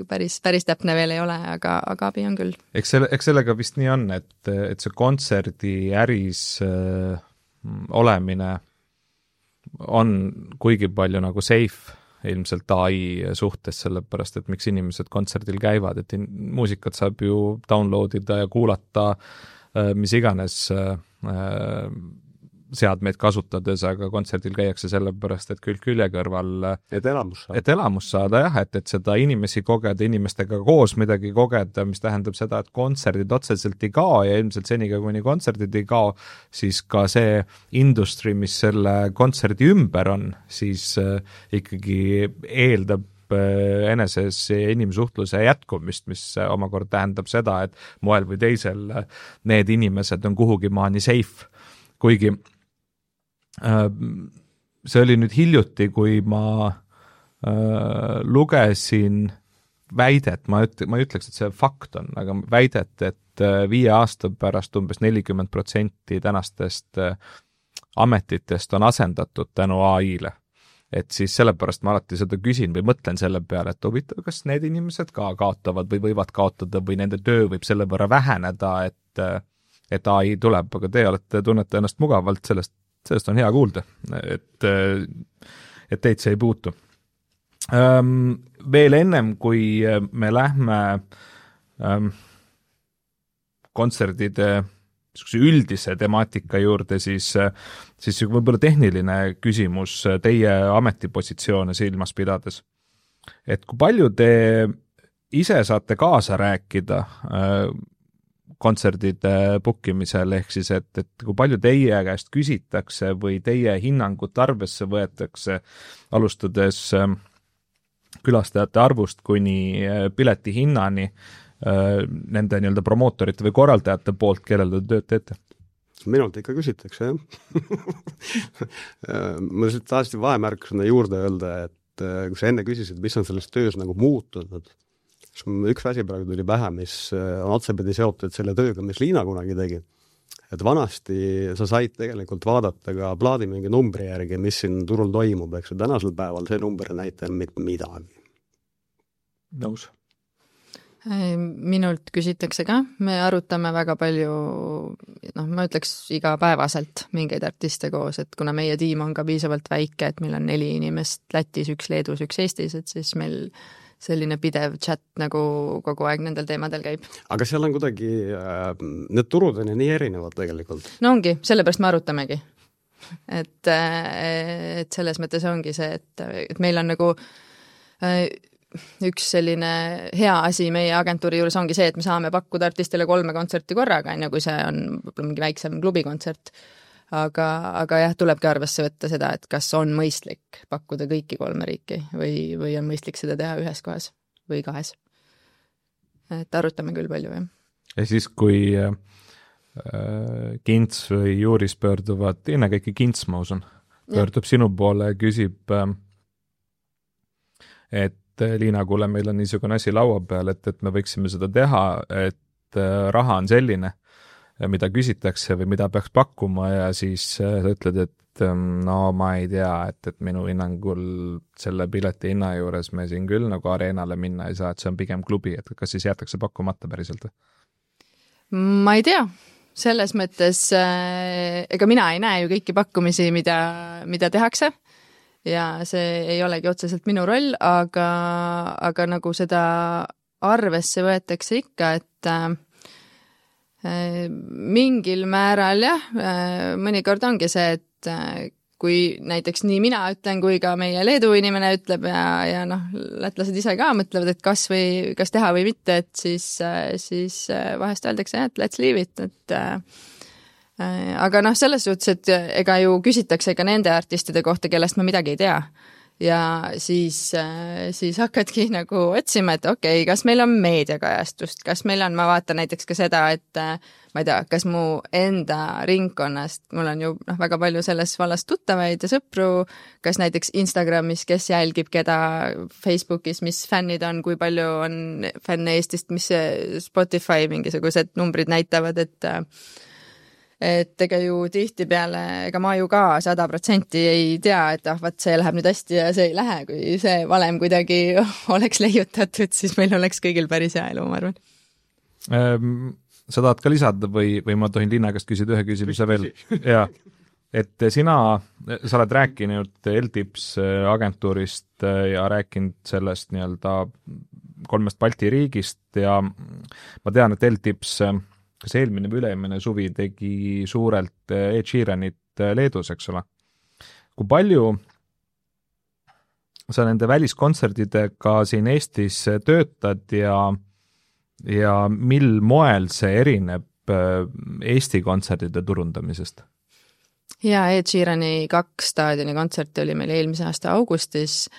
päris, päris täpne veel ei ole, aga, aga abi on küll. Eks, selle, eks sellega vist nii on, et, et see kontserdi äris äh, olemine on kuigi palju nagu safe ilmselt A I suhtes, sellepärast, et miks inimesed kontserdil käivad, et in, muusikat saab ju downloadida ja kuulata mis iganes seadmeid kasutades, aga kontserdil käiakse sellepärast, et külg külje kõrval et elamus saada, et elamus saada jah, et, et seda inimesi kogeda, inimestega koos midagi kogeda, mis tähendab seda, et kontserdid otseselt ei kao ja ilmselt seniga, kuni kontserdid ei kao, siis ka see industry, mis selle kontserdi ümber on, siis äh, ikkagi eeldab eneses inimsuhtluse jätkumist, mis omakorda tähendab seda, et moel või teisel need inimesed on kuhugi maani safe, kuigi äh, see oli nüüd hiljuti, kui ma äh, lugesin väidet, ma, üt, ma ei ütleks, et see fakt on, aga väidet, et äh, viie aasta pärast umbes nelikümmend protsenti tänastest äh, ametitest on asendatud tänu A I-le. Et siis sellepärast ma alati seda küsin või mõtlen selle peale, et huvitav, kas need inimesed ka kaotavad või võivad kaotada või nende töö võib selle võrra väheneda, et, et A I tuleb, aga te olete, tunnete ennast mugavalt, sellest, sellest on hea kuulda, et, et teid see ei puutu. Ähm, veel ennem, kui me lähme ähm, kontserdide üldise temaatika juurde, siis, siis võib-olla tehniline küsimus teie ametipositsioone silmas pidades. Et kui palju te ise saate kaasa rääkida kontserdide bookimisel, ehk siis, et, et kui palju teie käest küsitakse või teie hinnangut arvesse võetakse, alustades külastajate arvust kuni pileti hinnani, nende nii-öelda promootorite või korraldajate poolt, kellele te tööd teete? Minult ikka küsitakse, jah. Ma siit tahtsin vahemärkusena juurde öelda, et kui sa enne küsisid, mis on selles töös nagu muutunud, siis üks asi praegu tuli pähe, mis on otsepidi seotud selle tööga, mis Liina kunagi tegi. Et vanasti sa said tegelikult vaadata ka plaadi mingi numbri järgi, mis siin turul toimub, eks tänasel päeval see number näitab mitte midagi. Nõus. Minult küsitakse ka, me arutame väga palju, noh, ma ütleks igapäevaselt mingeid artiste koos, et kuna meie tiim on ka piisavalt väike, et meil on neli inimest Lätis, üks Leedus, üks Eestis, et siis meil selline pidev chat nagu kogu aeg nendel teemadel käib. Aga seal on kuidagi, need turud on ju nii erinevad tegelikult. No ongi, sellepärast me arutamegi. Et, et selles mõttes ongi see, et, et meil on nagu üks selline hea asi meie agentuuri juures ongi see, et me saame pakkuda artistile kolme kontserti korraga, enne kui see on mingi väiksem klubikontsert. Aga, aga jah, tulebki arvesse võtta seda, et kas on mõistlik pakkuda kõiki kolme riiki või, või on mõistlik seda teha ühes kohas või kahes. Et arutame küll palju, jah. Ja siis, kui äh, Kints või Juuris pöörduvad, ennekõike Kints, ma usun, pöördub ja sinu poole ja küsib, äh, et Liina, kuule, meil on niisugune asi laua peal, et, et me võiksime seda teha, et raha on selline, mida küsitakse või mida peaks pakkuma ja siis sa ütled, et no ma ei tea, et, et minu hinnangul selle pileti hinna juures me siin küll nagu areenale minna ei saa, et see on pigem klubi, et kas siis jäetakse pakkumata päriselt? Ma ei tea. Selles mõttes, ega mina ei näe ju kõiki pakkumisi, mida, mida tehakse. Ja see ei olegi otseselt minu roll, aga, aga nagu seda arvesse võetakse ikka, et äh, mingil määral jah, äh, mõnikord ongi see, et äh, kui näiteks nii mina ütlen, kui ka meie Leedu inimene ütleb ja, ja noh, lätlased ise ka mõtlevad, et kas, või, kas teha või mitte, et siis, äh, siis äh, vahest öeldakse, et let's leave it, et äh, aga noh, selles suhtes, et ega ju küsitakse ka nende artistide kohta, kellest ma midagi ei tea. Ja siis, siis hakkadki nagu otsima, et okei, okay, kas meil on meediakajastust, kas meil on, ma vaatan näiteks ka seda, et ma ei tea, kas mu enda ringkonnast, mul on ju noh, väga palju selles vallas tuttavaid ja sõpru, kas näiteks Instagramis, kes jälgib keda, Facebookis, mis fännid on, kui palju on fänne Eestist, mis Spotify mingisugused numbrid näitavad, et et ega ju tihti peale, ega ma ju ka sada protsenti ei tea, et ah, vaat see läheb nüüd hästi ja see ei lähe, kui see valem kuidagi oleks leiutatud, siis meil oleks kõigil päris hea elu, ma arvan. Sa tahad ka lisada või, või ma tohin Liina käest küsida ühe küsimuse veel? Jaa. Et sina, sa oled rääkinud L T I P S agentuurist ja rääkinud sellest nii-öelda kolmest Balti riigist ja ma tean, et L T I P S, kas eelmine või üleemine suvi tegi suurelt Ed Sheeranit Leedus, eks ole. Kui palju sa nende väliskontserdidega siin Eestis töötad ja, ja mil moel see erineb Eesti kontserdide turundamisest? Ja Ed Sheerani kaks staadioni kontserti oli meil eelmise aasta augustis.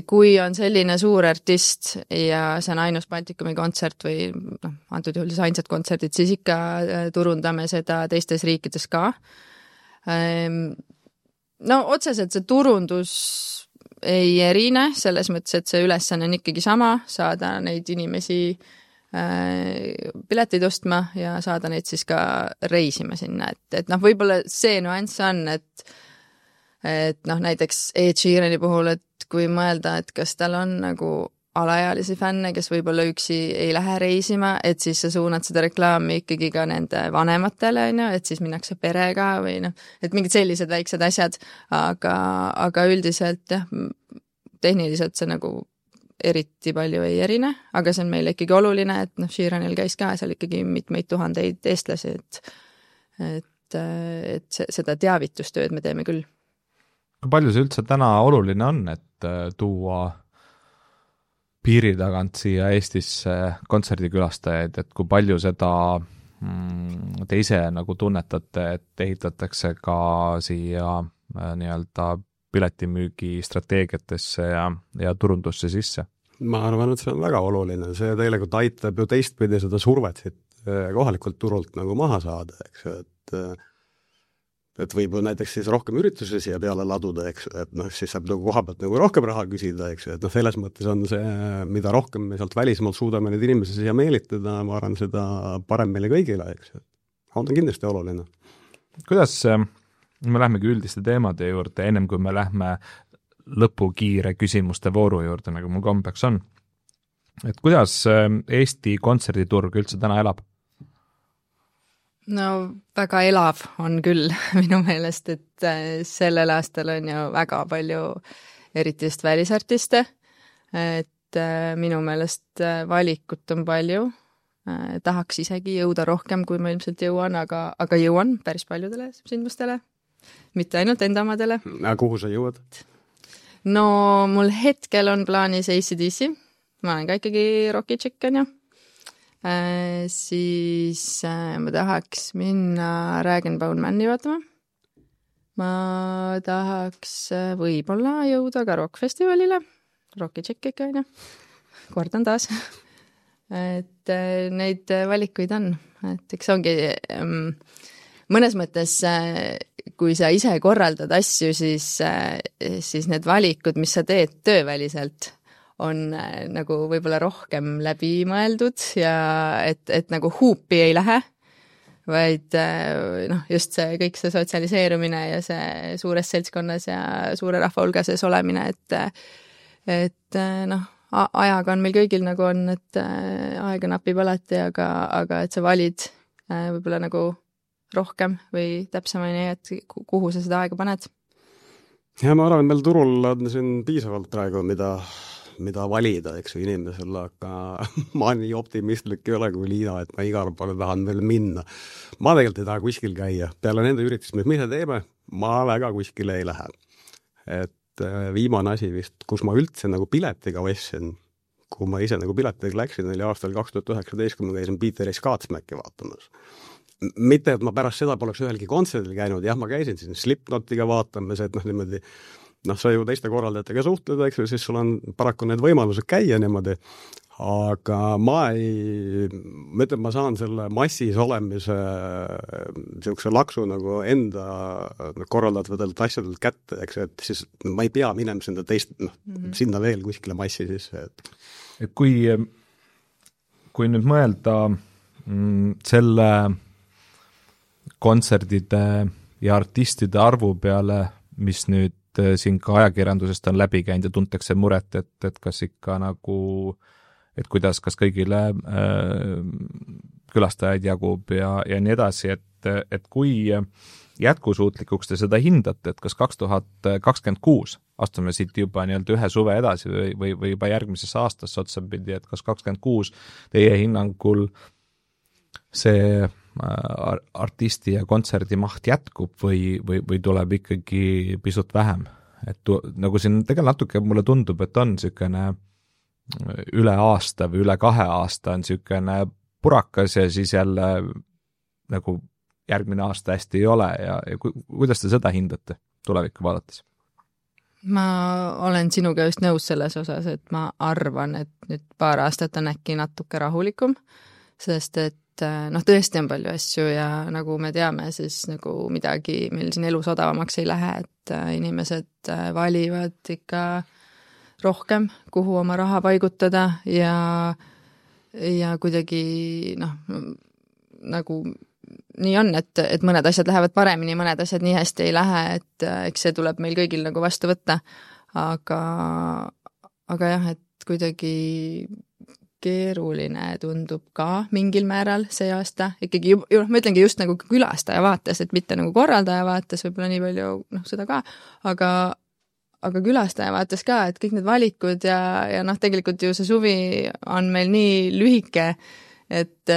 Kui on selline suur artist ja see on ainus Baltikumi kontsert või noh, antud juhul siis ainsad kontserdid, siis ikka turundame seda teistes riikides ka. No otseselt see turundus ei erine, selles mõttes, et see ülesanne on ikkagi sama, saada neid inimesi pileteid ostma ja saada neid siis ka reisima sinna, et, et noh, võib-olla see nüanss on, et et noh, näiteks Ed Sheerani puhul, et kui mõelda, et kas tal on nagu alaealisi fänne, kes võib-olla üksi ei lähe reisima, et siis sa suunad seda reklaami ikkagi ka nende vanematele, on ju, et siis minnakse perega või noh, et mingid sellised väiksed asjad, aga, aga üldiselt jah, tehniliselt see nagu eriti palju ei erine, aga see on meile ikkagi oluline, et noh, Sheeranil käis ka seal ikkagi mitmeid tuhandeid eestlasi, et, et, et seda teavitustööd me teeme küll. Kui palju see üldse täna oluline on, et tuua piiri tagant siia Eestisse kontserdikülastajaid, et kui palju seda mm, te ise nagu tunnetate, et ehitatakse ka siia nii-öelda piletimüügi strateegiatesse ja, ja turundusse sisse? Ma arvan, et see on väga oluline. See tegelikult aitab ju teistpidi seda survet kohalikult turult nagu maha saada, eks, et et võib näiteks siis rohkem üritusi siia peale laduda, eks, et noh, siis saab nagu koha pealt nagu rohkem raha küsida, eks, et noh, selles mõttes on see, mida rohkem me sealt välismaalt suudame neid inimesi siia meelitada, ma arvan, seda parem meile kõigile, eks, on ta kindlasti oluline. Kuidas me lähmegi üldiste teemade juurde, ennem kui me lähme lõpukiire küsimuste vooru juurde, nagu mul kombeks on, et kuidas Eesti kontserditurg üldse täna elab? No väga elav on küll minu meelest, et sellel aastal on ju väga palju eriti just välisartiste, et minu meelest valikut on palju, tahaks isegi jõuda rohkem, kui ma ilmselt jõuan, aga, aga jõuan päris paljudele sündmustele, mitte ainult endamadele. Kuhu sa jõuad? No mul hetkel on plaanis A C D C, ma olen ka ikkagi roki tšekk, on ju. Äh, siis äh, ma tahaks minna Rag and Bone Mani vaatama. Ma tahaks äh, võib-olla jõuda ka rockfestivalile. Rocki tšekk ikka, on ju. Kordan taas. et äh, neid valikuid on. Et eks ongi ähm, mõnes mõttes, äh, kui sa ise korraldad asju, siis, äh, siis need valikud, mis sa teed tööväliselt, on nagu võib-olla rohkem läbi mõeldud ja et, et nagu huupi ei lähe, vaid noh, just see kõik see sotsialiseerumine ja see suures seltskonnas ja suure rahva hulgases olemine, et, et noh, ajaga on meil kõigil nagu on, et aega napib alati, aga, aga et sa valid võib-olla nagu rohkem või täpsemini, et kuhu sa seda aega paned. Ja ma arvan, meil turul on siin piisavalt praegu, mida mida valida, eks ju, inimesel, aga ma nii optimistlik ei ole kui Liina, et ma igal poole tahan veel minna. Ma tegelikult ei taha kuskil käia. Peale nende üritust, mis me ise teeme, ma väga kuskile ei lähe. Et viimane asi vist, kus ma üldse nagu piletiga ostsin, kui ma ise nagu piletiga läksin, oli aastal kaks tuhat üheksateist, kui ma käisin Peter Skatsmäki vaatamas. Mitte, et ma pärast seda poleks ühelgi kontserdil käinud, jah, ma käisin siin Slipknotiga vaatamas, et noh, niimoodi noh, sa ju teiste korraldajatega suhtled, eks ju, siis sul on paraku need võimalused käia niimoodi, aga ma ei, ma ütlen, ma saan selle massis olemise niisuguse laksu nagu enda korraldatavalt asjadelt kätte, eks, et siis ma ei pea minema sinna teist, noh, mm-hmm. sinna veel kuskile massi sisse. Et, et kui, kui nüüd mõelda mm, selle kontserdide ja artistide arvu peale, mis nüüd siin ka ajakirjandusest on läbi käinud ja tuntakse muret, et, et kas ikka nagu, et kuidas, kas kõigile äh, külastajaid jagub ja, ja nii edasi, et, et kui jätkusuutlikuks te seda hindate, et kas kaks tuhat kakskümmend kuus astume siit juba nii-öelda ühe suve edasi või, või, või juba järgmises aastas otsapidi, et kas kakskümmend kuus teie hinnangul see artisti ja kontserdi maht jätkub või, või, või tuleb ikkagi pisut vähem. Et tu, nagu siin tegelikult natuke mulle tundub, et on niisugune üle aasta või üle kahe aasta on niisugune purakas ja siis jälle nagu järgmine aasta hästi ei ole ja, ja ku, kuidas te seda hindate tulevikku vaadates? Ma olen sinuga just nõus selles osas, et ma arvan, et nüüd paar aastat on äkki natuke rahulikum, sest et noh, tõesti on palju asju ja nagu me teame, siis nagu midagi meil siin elus odavamaks ei lähe, et inimesed valivad ikka rohkem, kuhu oma raha paigutada ja, ja kuidagi noh, nagu nii on, et, et mõned asjad lähevad paremini, mõned asjad nii hästi ei lähe, et eks see tuleb meil kõigil nagu vastu võtta, aga, aga jah, et kuidagi keeruline tundub ka mingil määral see aasta, ikkagi, ma ütlengi just nagu külastaja vaates, et mitte nagu korraldaja vaates, võib-olla nii palju, noh, seda ka, aga, aga külastaja vaates ka, et kõik need valikud ja, ja noh, tegelikult ju see suvi on meil nii lühike, et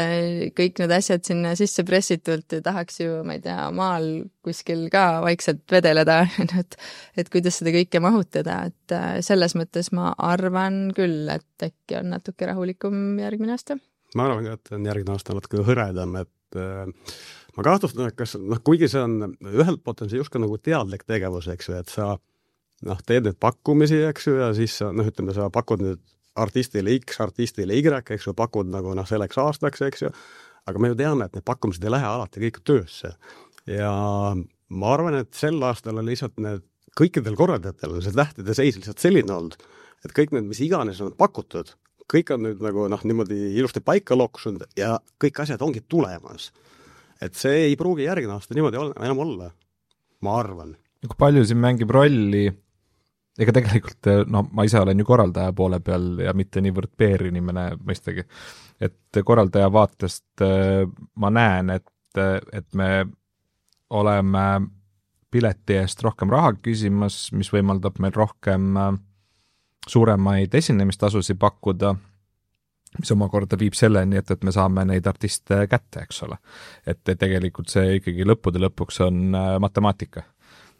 kõik need asjad sinna sisse pressitult ja tahaks ju, ma ei tea, maal kuskil ka vaikselt vedeleda, et, et kuidas seda kõike mahutada, et selles mõttes ma arvan küll, et äkki on natuke rahulikum järgmine aasta. Ma arvan, et on järgmine aasta natuke hõredam, et äh, ma kahtlustan, et kas, noh, kuigi see on, ühelt poolt on see just ka nagu teadlik tegevus, eks ju, et sa noh, teed need pakkumisi, eks ju, ja siis sa, noh, ütleme, sa pakud nüüd artistile X, artistile Y, eks ju, pakud nagu noh, selleks aastaks, eks ju, aga me ju teame, et need pakkumised ei lähe alati kõik töösse. Ja ma arvan, et sel aastal on lihtsalt need kõikidel korraldajatel on see tähtede seis lihtsalt selline olnud, et kõik need, mis iganes on pakutud, kõik on nüüd nagu noh, niimoodi ilusti paika loksunud ja kõik asjad ongi tulemas. Et see ei pruugi järgmine aasta niimoodi olla, enam olla, ma arvan. Kui palju siin mängib rolli ega tegelikult, no ma ise olen ju korraldaja poole peal ja mitte niivõrd P R-inimene mõistagi, et korraldaja vaatest ma näen, et, et me oleme pileti eest rohkem raha küsimas, mis võimaldab meil rohkem suuremaid esinemistasusid pakkuda, mis omakorda viib selleni, et, et me saame neid artiste kätte, eks ole. Et tegelikult see ikkagi lõppude lõpuks on matemaatika.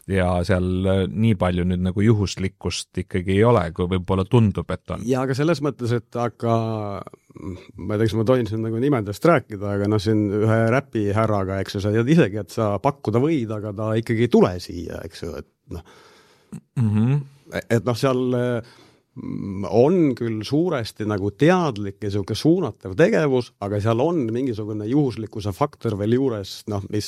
Ja seal nii palju nüüd nagu juhuslikkust ikkagi ei ole, kui võib-olla tundub, et on. Ja aga selles mõttes, et aga ma ei tea, kas ma tohin siin nagu nimedest rääkida, aga noh, siin ühe räpi härraga, eks ju, sa tead isegi, et sa pakkuda võid, aga ta ikkagi ei tule siia, eks ju, et noh, mm-hmm. et noh, seal on küll suuresti nagu teadlik ja selline suunatav tegevus, aga seal on mingisugune juhuslikkuse faktor veel juures, noh, mis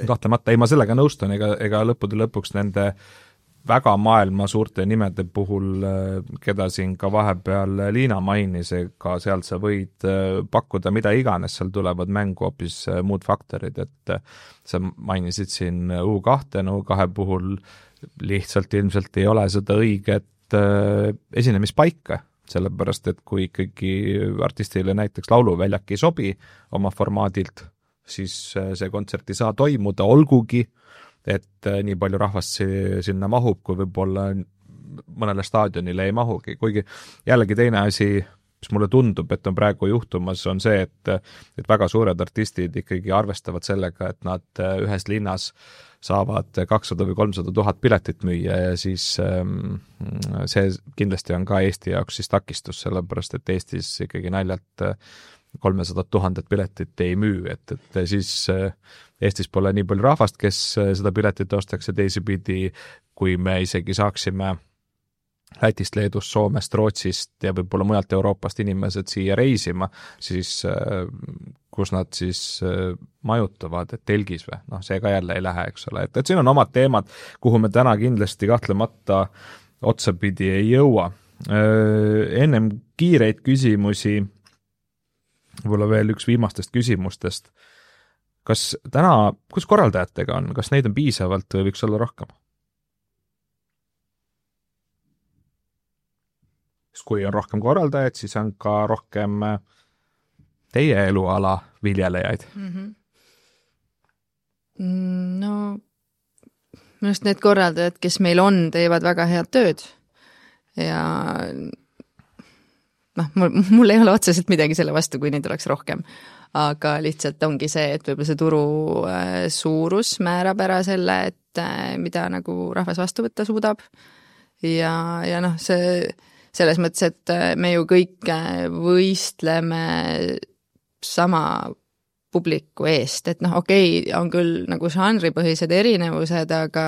kahtlemata, ei ma sellega nõustun, ega, ega lõppude lõpuks nende väga maailma suurte nimede puhul, keda siin ka vahepeal Liina mainis, ega seal sa võid pakkuda mida iganes, seal tulevad mängu hoopis muud faktorid, et sa mainisid siin U kaks, U kaks puhul lihtsalt ilmselt ei ole seda õiget esinemispaika, sellepärast, et kui ikkagi artistile näiteks lauluväljak ei sobi oma formaadilt, siis see kontsert ei saa toimuda, olgugi, et nii palju rahvast sinna mahub, kui võib-olla mõnele staadionile ei mahugi, kuigi jällegi teine asi, mis mulle tundub, et on praegu juhtumas, on see, et, et väga suured artistid ikkagi arvestavad sellega, et nad ühes linnas saavad kakssada või kolmsada tuhat piletit müüa ja siis see kindlasti on ka Eesti jaoks siis takistus, sellepärast et Eestis ikkagi naljalt kolmesada tuhandet piletit ei müü, et, et siis Eestis pole nii palju rahvast, kes seda piletit ostaks ja teisipidi, kui me isegi saaksime Lätist, Leedust, Soomest, Rootsist ja võib-olla mujalt Euroopast inimesed siia reisima, siis kus nad siis majutavad, et telgis või, noh, see ka jälle ei lähe, eks ole, et, et siin on omad teemad, kuhu me täna kindlasti kahtlemata otsapidi ei jõua. Ennem kiireid küsimusi, võib-olla veel üks viimastest küsimustest, kas täna, kus korraldajatega on, kas neid on piisavalt või võiks olla rohkem? Kui on rohkem korraldajaid, siis on ka rohkem teie eluala viljelejaid. Mm-hmm. No, minu arust need korraldajad, kes meil on, teevad väga head tööd ja noh, mul, mul ei ole otseselt midagi selle vastu, kui neid oleks rohkem. Aga lihtsalt ongi see, et võib-olla see turu suurus määrab ära selle, et mida nagu rahvas vastu võtta suudab. Ja, ja noh, see selles mõttes, et me ju kõik võistleme sama publiku eest, et noh, okei, on küll nagu žanripõhised erinevused, aga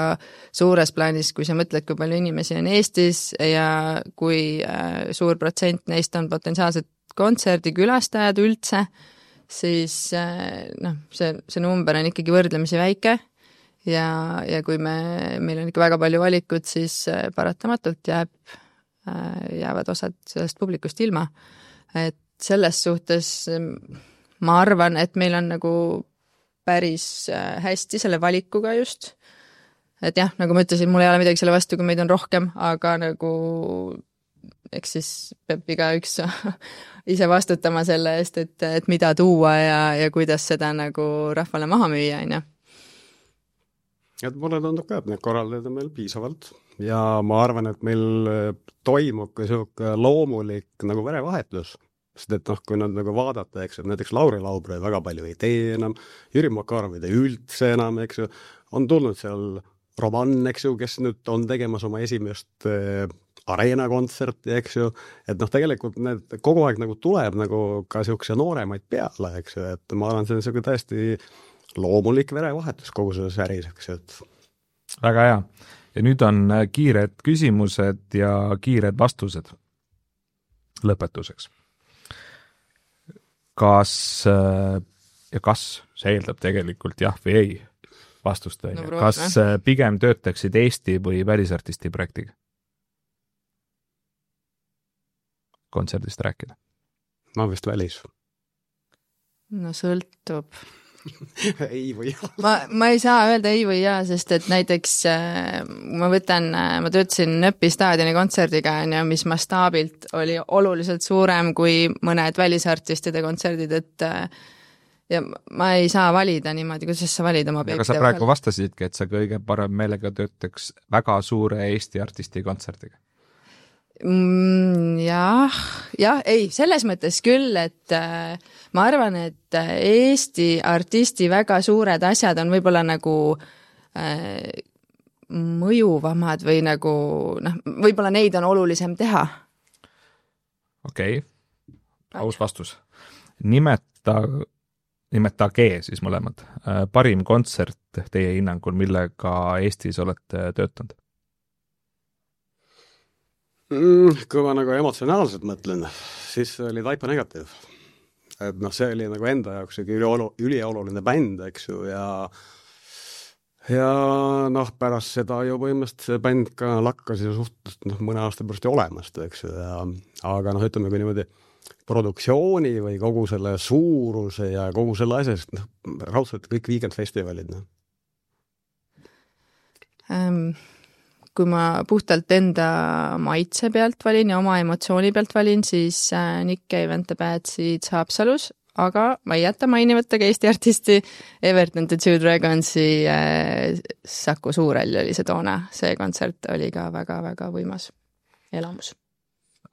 suures plaanis, kui sa mõtled, kui palju inimesi on Eestis ja kui suur protsent neist on potentsiaalsed kontserdikülastajad üldse, siis noh, see, see number on ikkagi võrdlemisi väike ja, ja kui me, meil on ikka väga palju valikut, siis paratamatult jääb jäävad osad sellest publikust ilma. Et selles suhtes ma arvan, et meil on nagu päris hästi selle valikuga just. Et jah, nagu ma ütlesin, mul ei ole midagi selle vastu, kui meid on rohkem, aga nagu eks siis peab iga üks ise vastutama selle eest, et, et mida tuua ja, ja kuidas seda nagu rahvale maha müüa, on ju. Et mulle tundub ka, et need korraldajad on meil piisavalt ja ma arvan, et meil toimub ka selline loomulik nagu verevahetus, sest et noh, kui nad nagu vaadata, eks, et näiteks Lauri Laubre väga palju ei tee enam, Jüri Makarov ei tee üldse enam, eks ju, on tulnud seal Roman, eks ju, kes nüüd on tegemas oma esimest äh, areena kontserti, eks ju, et noh, tegelikult need kogu aeg nagu tuleb nagu ka selline nooremaid peale, eks ju, et ma arvan, see on selline täiesti loomulik verevahetus kogu selles äris, eks ju, et väga hea. Ja nüüd on kiired küsimused ja kiired vastused lõpetuseks. Kas ja kas see eeldab tegelikult jah või ei vastust? No, kas pigem töötaksid Eesti või välisartisti projektiga? Kontserdist rääkida? Ma vist välis. No sõltub. ei või jaa. Ma, ma ei saa öelda ei või jaa, sest et näiteks ma võtan, ma töötasin Nööpi staadioni kontserdiga, mis mastaabilt oli oluliselt suurem kui mõned välisartistide kontserdid, et ja ma ei saa valida niimoodi, kuidas sa valid oma objekte. Aga sa praegu vastasidki, et sa kõige parem meelega töötaks väga suure Eesti artisti kontserdiga. Mm, jah, jah, ei, selles mõttes küll, et äh, ma arvan, et Eesti artisti väga suured asjad on võib-olla nagu äh, mõjuvamad või nagu, noh, võib-olla neid on olulisem teha. Okei, okay. Aus vastus. Nimeta, nimetage siis mõlemad. Äh, parim kontsert teie hinnangul, millega Eestis olete töötanud? Mm, kui ma nagu emotsionaalselt mõtlen, siis oli Taipa Negative. Et noh, see oli nagu enda jaoks üliolu, ülioluline bänd, eks ju, ja ja noh, pärast seda ju põhimõtteliselt see bänd ka lakkas ju suhteliselt noh, mõne aasta pärast olemast, eks ju, ja aga noh, ütleme kui niimoodi produktsiooni või kogu selle suuruse ja kogu selle asjast, noh, raudselt kõik Weekend-festivalid, noh. Ähm. Kui ma puhtalt enda maitse pealt valin ja oma emotsiooni pealt valin, siis Nick Cave and the Bad Seeds Haapsalus, aga ma ei jäta mainimata ka Eesti artisti Everton the Two Dragonsi äh, Saku Suurel oli see toona. See kontsert oli ka väga-väga võimas elamus.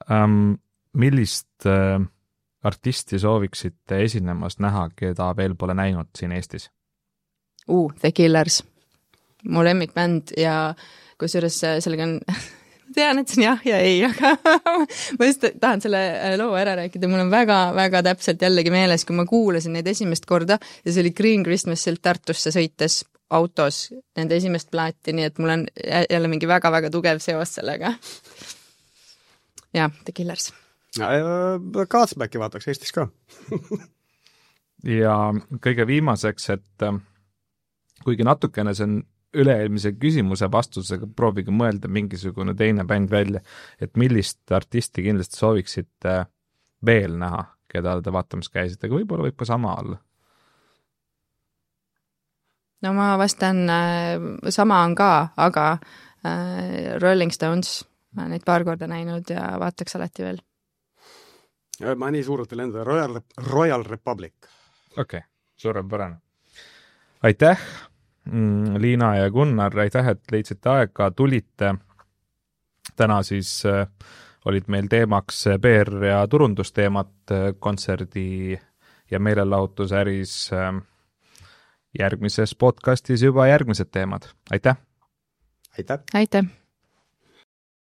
Um, millist äh, artisti sooviksite esinemas näha, keda veel pole näinud siin Eestis? Uh, The Killers. Mu lemmikbänd ja kusjuures sellega on, tean, et see on jah ja ei, aga ma just tahan selle loo ära rääkida. Mul on väga-väga täpselt jällegi meeles, kui ma kuulasin neid esimest korda ja see oli Green Christmasilt Tartusse sõites autos nende esimest plaati, nii et mul on jälle mingi väga-väga tugev seos sellega. Ja, The Killers. Kaatsmäki vaataks Eestis ka. ja kõige viimaseks, et kuigi natukene see on üle-eelmise küsimuse vastusega proovige mõelda mingisugune teine bänd välja, et millist artisti kindlasti sooviksite veel näha, keda te vaatamas käisite, aga võib-olla võib ka sama olla. no ma vastan, sama on ka, aga Rolling Stones, ma olen neid paar korda näinud ja vaataks alati veel. Ma nii suurelt ei lenda, Royal, Royal Republic. Okei, okay, suurepärane. Aitäh, Liina ja Gunnar, aitäh, et leidsite aega, tulite. Täna siis olid meil teemaks P R ja turundusteemat kontserdi ja meelelahutusäris. Järgmises podcastis juba järgmised teemad. Aitäh! Aitäh! Aitäh!